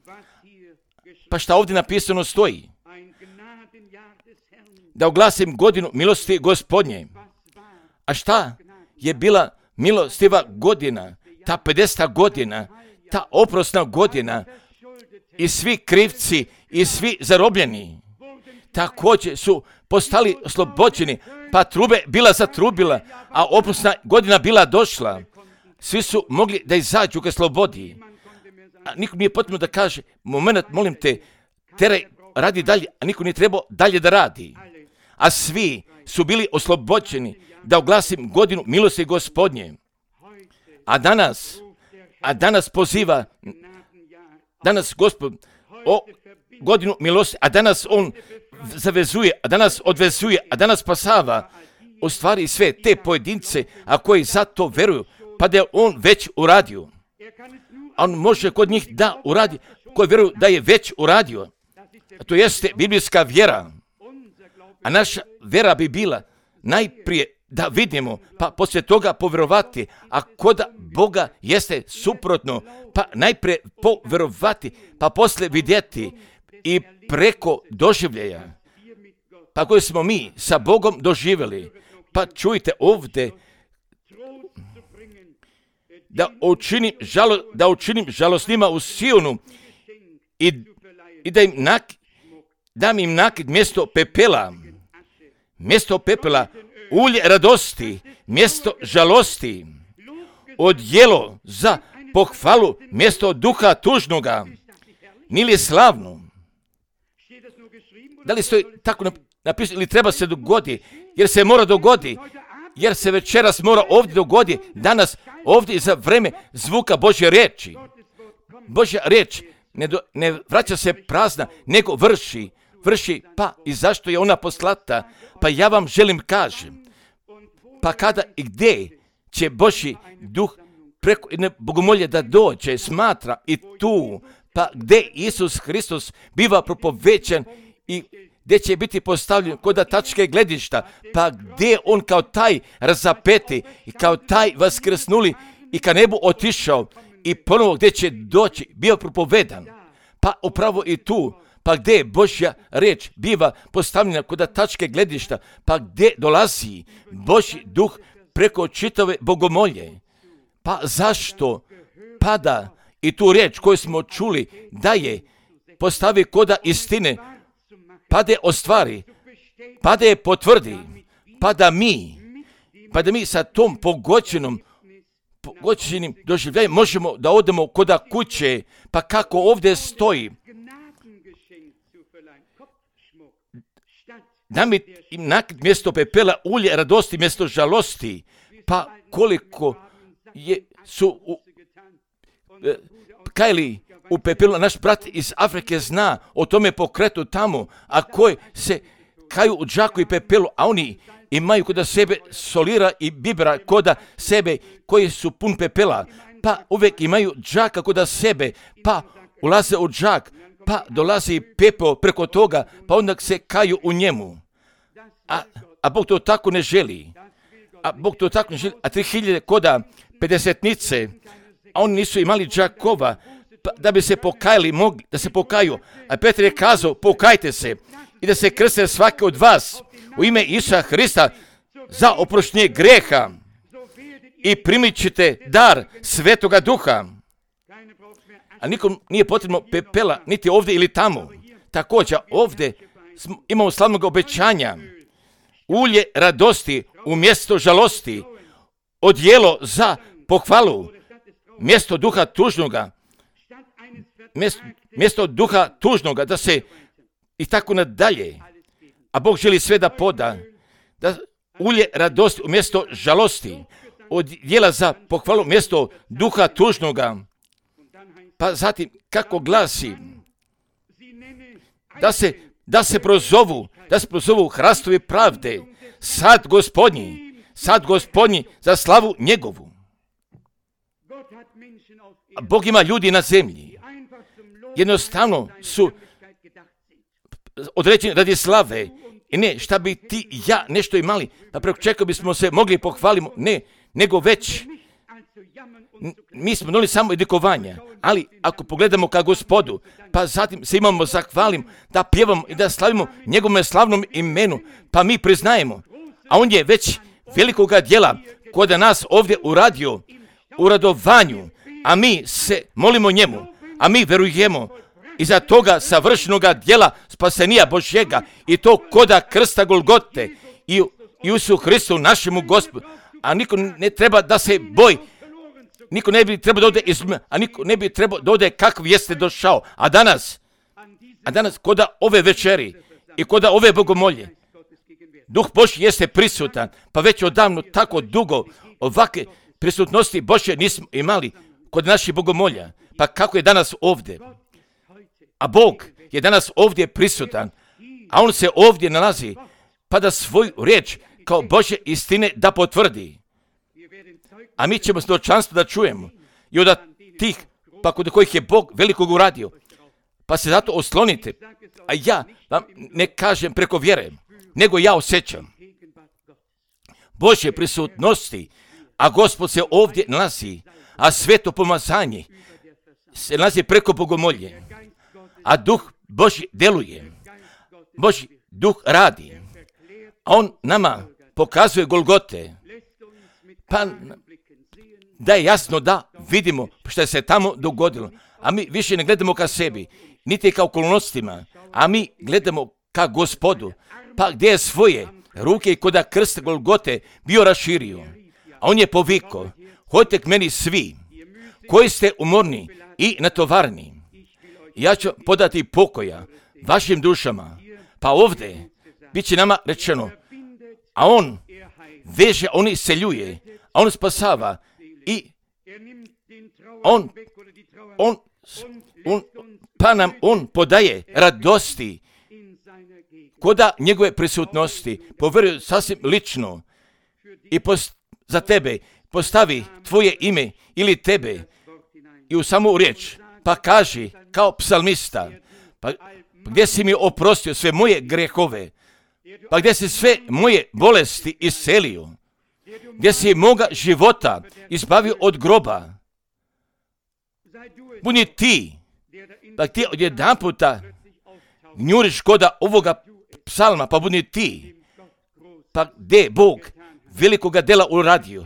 Pa šta ovdje napisano stoji? Da oglasim godinu milosti Gospodnje. A šta je bila milostiva godina, ta pedeseta godina, ta oprosna godina i svi krivci i svi zarobljeni također su postali oslobođeni, pa trube bila zatrubila, a oprosna godina bila došla. Svi su mogli da izađu ka slobodi. A niko nije potrebno da kaže, moment, molim te, teraj, radi dalje, a niko nije trebao dalje da radi. A svi su bili oslobođeni da oglasim godinu milosti Gospodnje. A danas, a danas poziva, danas Gospod o godinu milosti, a danas on zavezuje, a danas odvezuje, a danas spasava u stvari sve te pojedince, a koji za to veruju, pa da je on već uradio. A on može kod njih da uradi, koji vjeruju da je već uradio. to jeste biblijska vjera. A naša vjera bi bila najprije da vidimo, pa poslije toga povjerovati. A kod Boga jeste suprotno, pa najprije povjerovati, pa poslije vidjeti i preko doživljaja. Pa koje smo mi sa Bogom doživjeli. Pa čujte ovdje da učinim, žalo, da učinim žalosnima u Sionu i, i da im nak, dam im nakid mjesto pepela, mjesto pepela, ulje radosti, mjesto žalosti, odjelo za pohvalu, mjesto duha tužnoga. Nije li slavno? Da li stoji tako napisano ili treba se dogodi? Jer se mora dogodi. Jer se večeras mora ovdje dogodi. Danas ovdje za vreme zvuka Božje riječi. Božja riječ ne, do, ne vraća se prazna, nego vrši. Vrši, pa i zašto je ona poslata? Pa ja vam želim kažem. Pa kada i gdje će Božji duh preko jedne bogomolje da dođe, smatra i tu, pa gdje Isus Hristos biva propovećan i gdje će biti postavljen kod tačke gledišta, pa gdje on kao taj razapeti i kao taj vaskrsnuli i ka nebu otišao i ponovo gdje će doći, bio propovedan. Pa upravo i tu, pa gdje Božja riječ biva postavljena kod tačke gledišta, pa gdje dolazi Božji duh preko čitave bogomolje. Pa zašto pada i tu riječ koju smo čuli da je postavi koda istine, pa da je ostvari, pa da je potvrdi, pa da mi, pa da mi sa tom pogođenom, pogođenim doživljajem možemo da odemo koda kuće, pa kako ovdje stoji, da mi im nakid mjesto pepela, ulje radosti mjesto žalosti, pa koliko je, su u, e, kajli u pepelu, naš brat iz Afrike zna o tome pokretu tamo, a koji se kaju u džaku i pepelu, a oni imaju kod sebe solira i bibra kod sebe koji su pun pepela, pa uvijek imaju džaka kod sebe, pa ulaze u džak, pa dolazi pepeo preko toga, pa onda se kaju u njemu. A, a Bog to tako ne želi. A Bog to tako ne želi. A tri hiljade koda pedesetnice, a oni nisu imali džakova, pa da bi se pokajali, mogli da se pokaju. A Petar je kazao, pokajte se i da se krste svaki od vas u ime Isusa Hrista za oproštenje greha i primit ćete dar Svetoga Duha. A nikom nije potrebno pepela, niti ovdje ili tamo. Također ovdje imamo slavnog obećanja. Ulje radosti umjesto žalosti, odjelo za pohvalu, mjesto duha tužnoga, mjesto, mjesto duha tužnoga, da se i tako nadalje. A Bog želi sve da poda, da ulje radosti umjesto žalosti, odjela za pohvalu, mjesto duha tužnoga. Pa zatim, kako glasi, da se, da se prozovu, da se prozovu hrastovi pravde, sad Gospodnji, sad Gospodnji za slavu njegovu. A Bog ima ljudi na zemlji. Jednostavno su određeni radi slave. I ne, šta bi ti i ja nešto imali, pa preko čega bismo se mogli pohvaliti, ne, nego već mi smo donijeli samo edikovanja, ali ako pogledamo ka Gospodu, pa zatim se imamo zahvalim, da pjevamo i da slavimo njegovom slavnom imenu, pa mi priznajemo, a on je već velikoga djela kod nas ovdje uradio u radovanju, a mi se molimo njemu, a mi verujemo iza toga savršenoga djela spasenija Božjega i to koda krsta Golgote i u Isusu Hristu našemu Gospodu, a niko ne treba da se boji. Niko ne bi trebao da ode iz, a niko ne bi trebao da ode kakav jeste došao. A danas, a danas koda ove večeri i koda ove bogomolje, Duh Božji jeste prisutan, pa već odavno tako dugo ovakve prisutnosti Božje nismo imali kod naših bogomolja. Pa kako je danas ovdje? A Bog je danas ovdje prisutan, a On se ovdje nalazi, pa da svoju riječ kao Božje istine da potvrdi. A mi ćemo svjedočanstvo da čujemo i od tih, pa kod kojih je Bog velikog uradio. pa se zato oslonite. A ja vam ne kažem preko vjere, nego ja osjećam Božje prisutnosti, a Gospod se ovdje nalazi, a sveto pomazanje se nalazi preko bogomolje, a duh Božji deluje, Božji duh radi, a on nama pokazuje Golgote, pa da je jasno da vidimo što se tamo dogodilo, a mi više ne gledamo ka sebi, niti ka okolnostima, a mi gledamo ka Gospodu, pa gdje je svoje ruke koda krst Golgote bio raširio, a on je povikao, hodite k meni svi koji ste umorni i natovarni, ja ću podati pokoja vašim dušama. Pa ovdje bit će nama rečeno, a on veže, on iseljuje, a on spasava i on, on, on, pa nam on podaje radosti koda njegove prisutnosti, povjeruje sasvim lično i post, za tebe postavi tvoje ime ili tebe i u samu riječ, pa kaži kao psalmista, pa gdje si mi oprostio sve moje grehove, pa gdje si sve moje bolesti iscelio, gdje si moga života izbavio od groba, budi ti, pa ti odjedan puta gnjuriš koda ovoga psalma, pa budi ti, pa gdje Bog velikoga dela uradio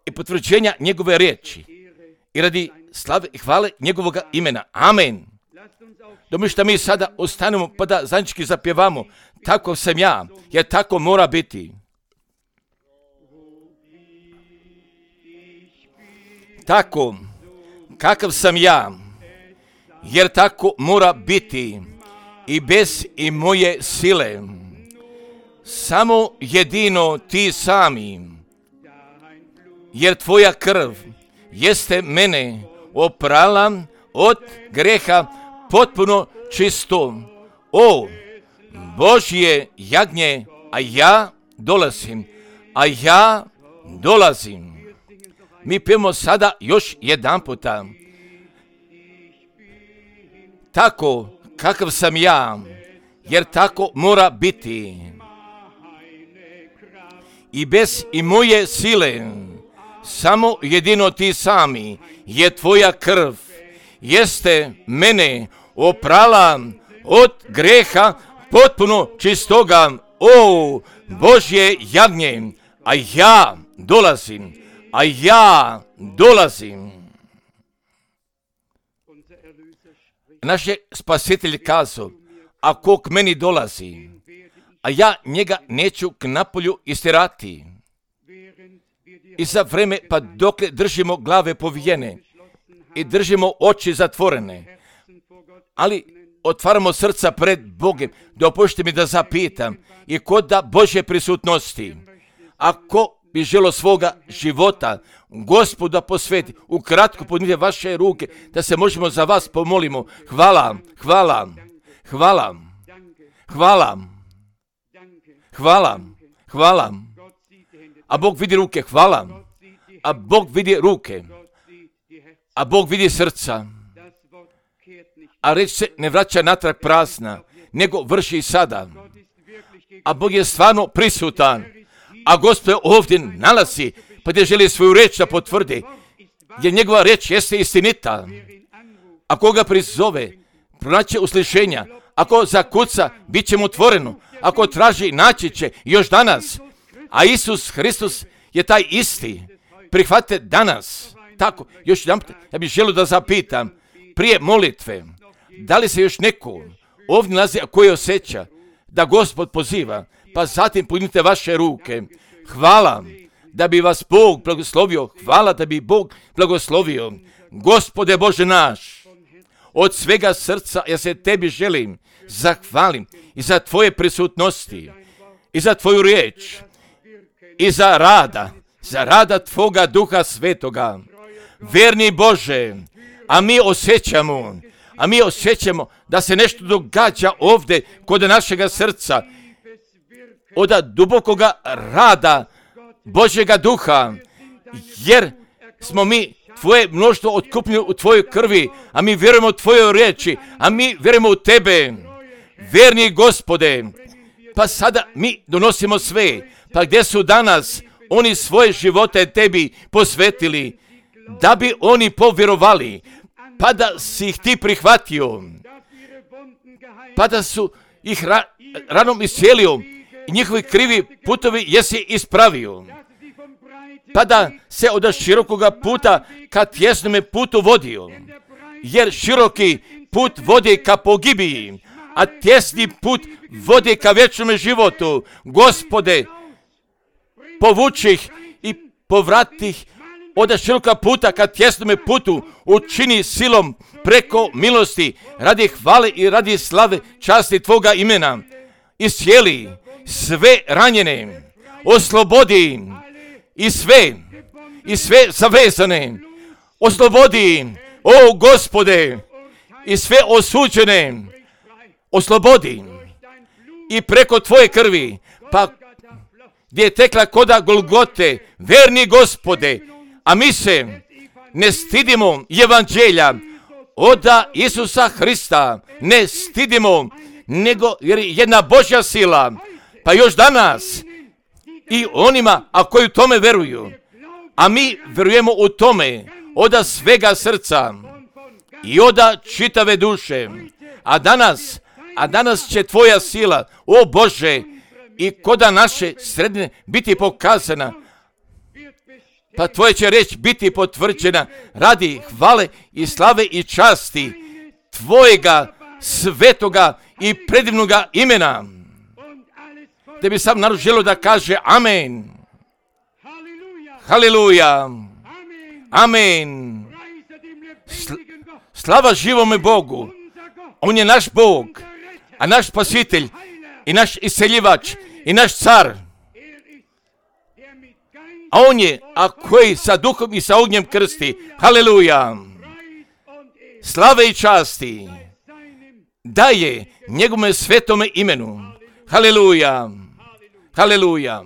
i potvrđenja njegove riječi i radi slave i hvale njegovoga imena. Amen. Domi što mi sada ostanemo pa da zajednički zapjevamo, tako sam ja, jer tako mora biti. Tako, kakav sam ja, jer tako mora biti i bez i moje sile. Samo jedino ti sami, jer tvoja krv jeste mene oprala od greha potpuno čisto. O, Božje jagnje, a ja dolazim, a ja dolazim. Mi pijemo sada još jedan puta. Tako, kakav sam ja, jer tako mora biti. I bez i moje sile, samo jedino ti sami, je tvoja krv, jeste mene oprala od greha potpuno čistoga. O, Božje jagnje, a ja dolazim, a ja dolazim. Naš je spasitelj kazao, ako k meni dolazi, a ja njega neću k napolju istirati. I za vreme, pa dokle držimo glave povijene i držimo oči zatvorene, ali otvaramo srca pred Bogem, dopušti mi da zapitam i kod da Božje prisutnosti, ako bi želo svoga života Gospoda posveti, ukratko podnite vaše ruke da se možemo za vas pomolimo. Hvala, hvala, hvala, hvala, hvala, hvala. A Bog vidi ruke, hvala. A Bog vidi ruke. A Bog vidi srca. A reč se ne vraća natrag prazna, nego vrši i sada. A Bog je stvarno prisutan. A Gospod ovdje nalazi, pa gdje želi svoju reč da potvrdi, jer njegova reč jeste istinita. Ako ga prizove, pronaće uslišenja. Ako zakuca, bit će mu otvoreno. Ako traži, naći će još danas. A Isus Hristos je taj isti. Prihvatite danas. Tako, još jedan put, ja bih želio da zapitam, prije molitve, da li se još neko ovdje nalazi, a koji osjeća da Gospod poziva, pa zatim podignite vaše ruke. Hvala da bi vas Bog blagoslovio. Hvala da bi Bog blagoslovio. Gospode Bože naš, od svega srca ja se tebi želim zahvalim i za tvoje prisutnosti, i za tvoju riječ, i za rada, za rada tvoga Duha Svetoga. Verni Bože, a mi osjećamo, a mi osjećamo da se nešto događa ovdje kod našega srca, od dubokoga rada Božjega Duha, jer smo mi Tvoje mnoštvo otkupljeno u Tvojoj krvi, a mi vjerujemo u Tvojoj riječi, a mi vjerujemo u Tebe, vjerni Gospode. Pa sada mi donosimo sve, pa gdje su danas oni svoje živote Tebi posvetili, da bi oni povjerovali, pa da si ih Ti prihvatio, pa da su ih ra- ranom iscijelio i njihovi krivi putovi jesi ispravio, pa da se od širokoga puta ka tjesnome putu vodio, jer široki put vodi ka pogibiji, a tjesni put vodi ka vječnome životu. Gospode, povuči ih i povrati ih od široka puta ka tjesnome putu, učini silom preko milosti, radi hvale i radi slave časti Tvoga imena. Iscijeli sve ranjene, oslobodi i sve, i sve zavezane, oslobodi, o Gospode, i sve osuđene, oslobodi i preko Tvoje krvi, pa gdje je tekla koda Golgote, verni Gospode, a mi se ne stidimo evanđelja oda Isusa Hrista, ne stidimo, nego jer je jedna Božja sila, pa još danas i onima, a koji u tome veruju, a mi vjerujemo u tome oda svega srca i oda čitave duše, a danas, a danas će Tvoja sila, o Bože, i koda naše sredine biti pokazana, pa Tvoja će reč biti potvrđena radi hvale i slave i časti Tvojega svetoga i predivnoga imena. Te bi sam narod želio da kaže amen. Haleluja. Amen. Slava živome Bogu. On je naš Bog, a naš spasitelj i naš isceljivač i naš car. A on je, a koji sa duhom i sa ognjem krsti. Haleluja. Slave i časti daje njegovome svetome imenu. Haleluja. Haleluja.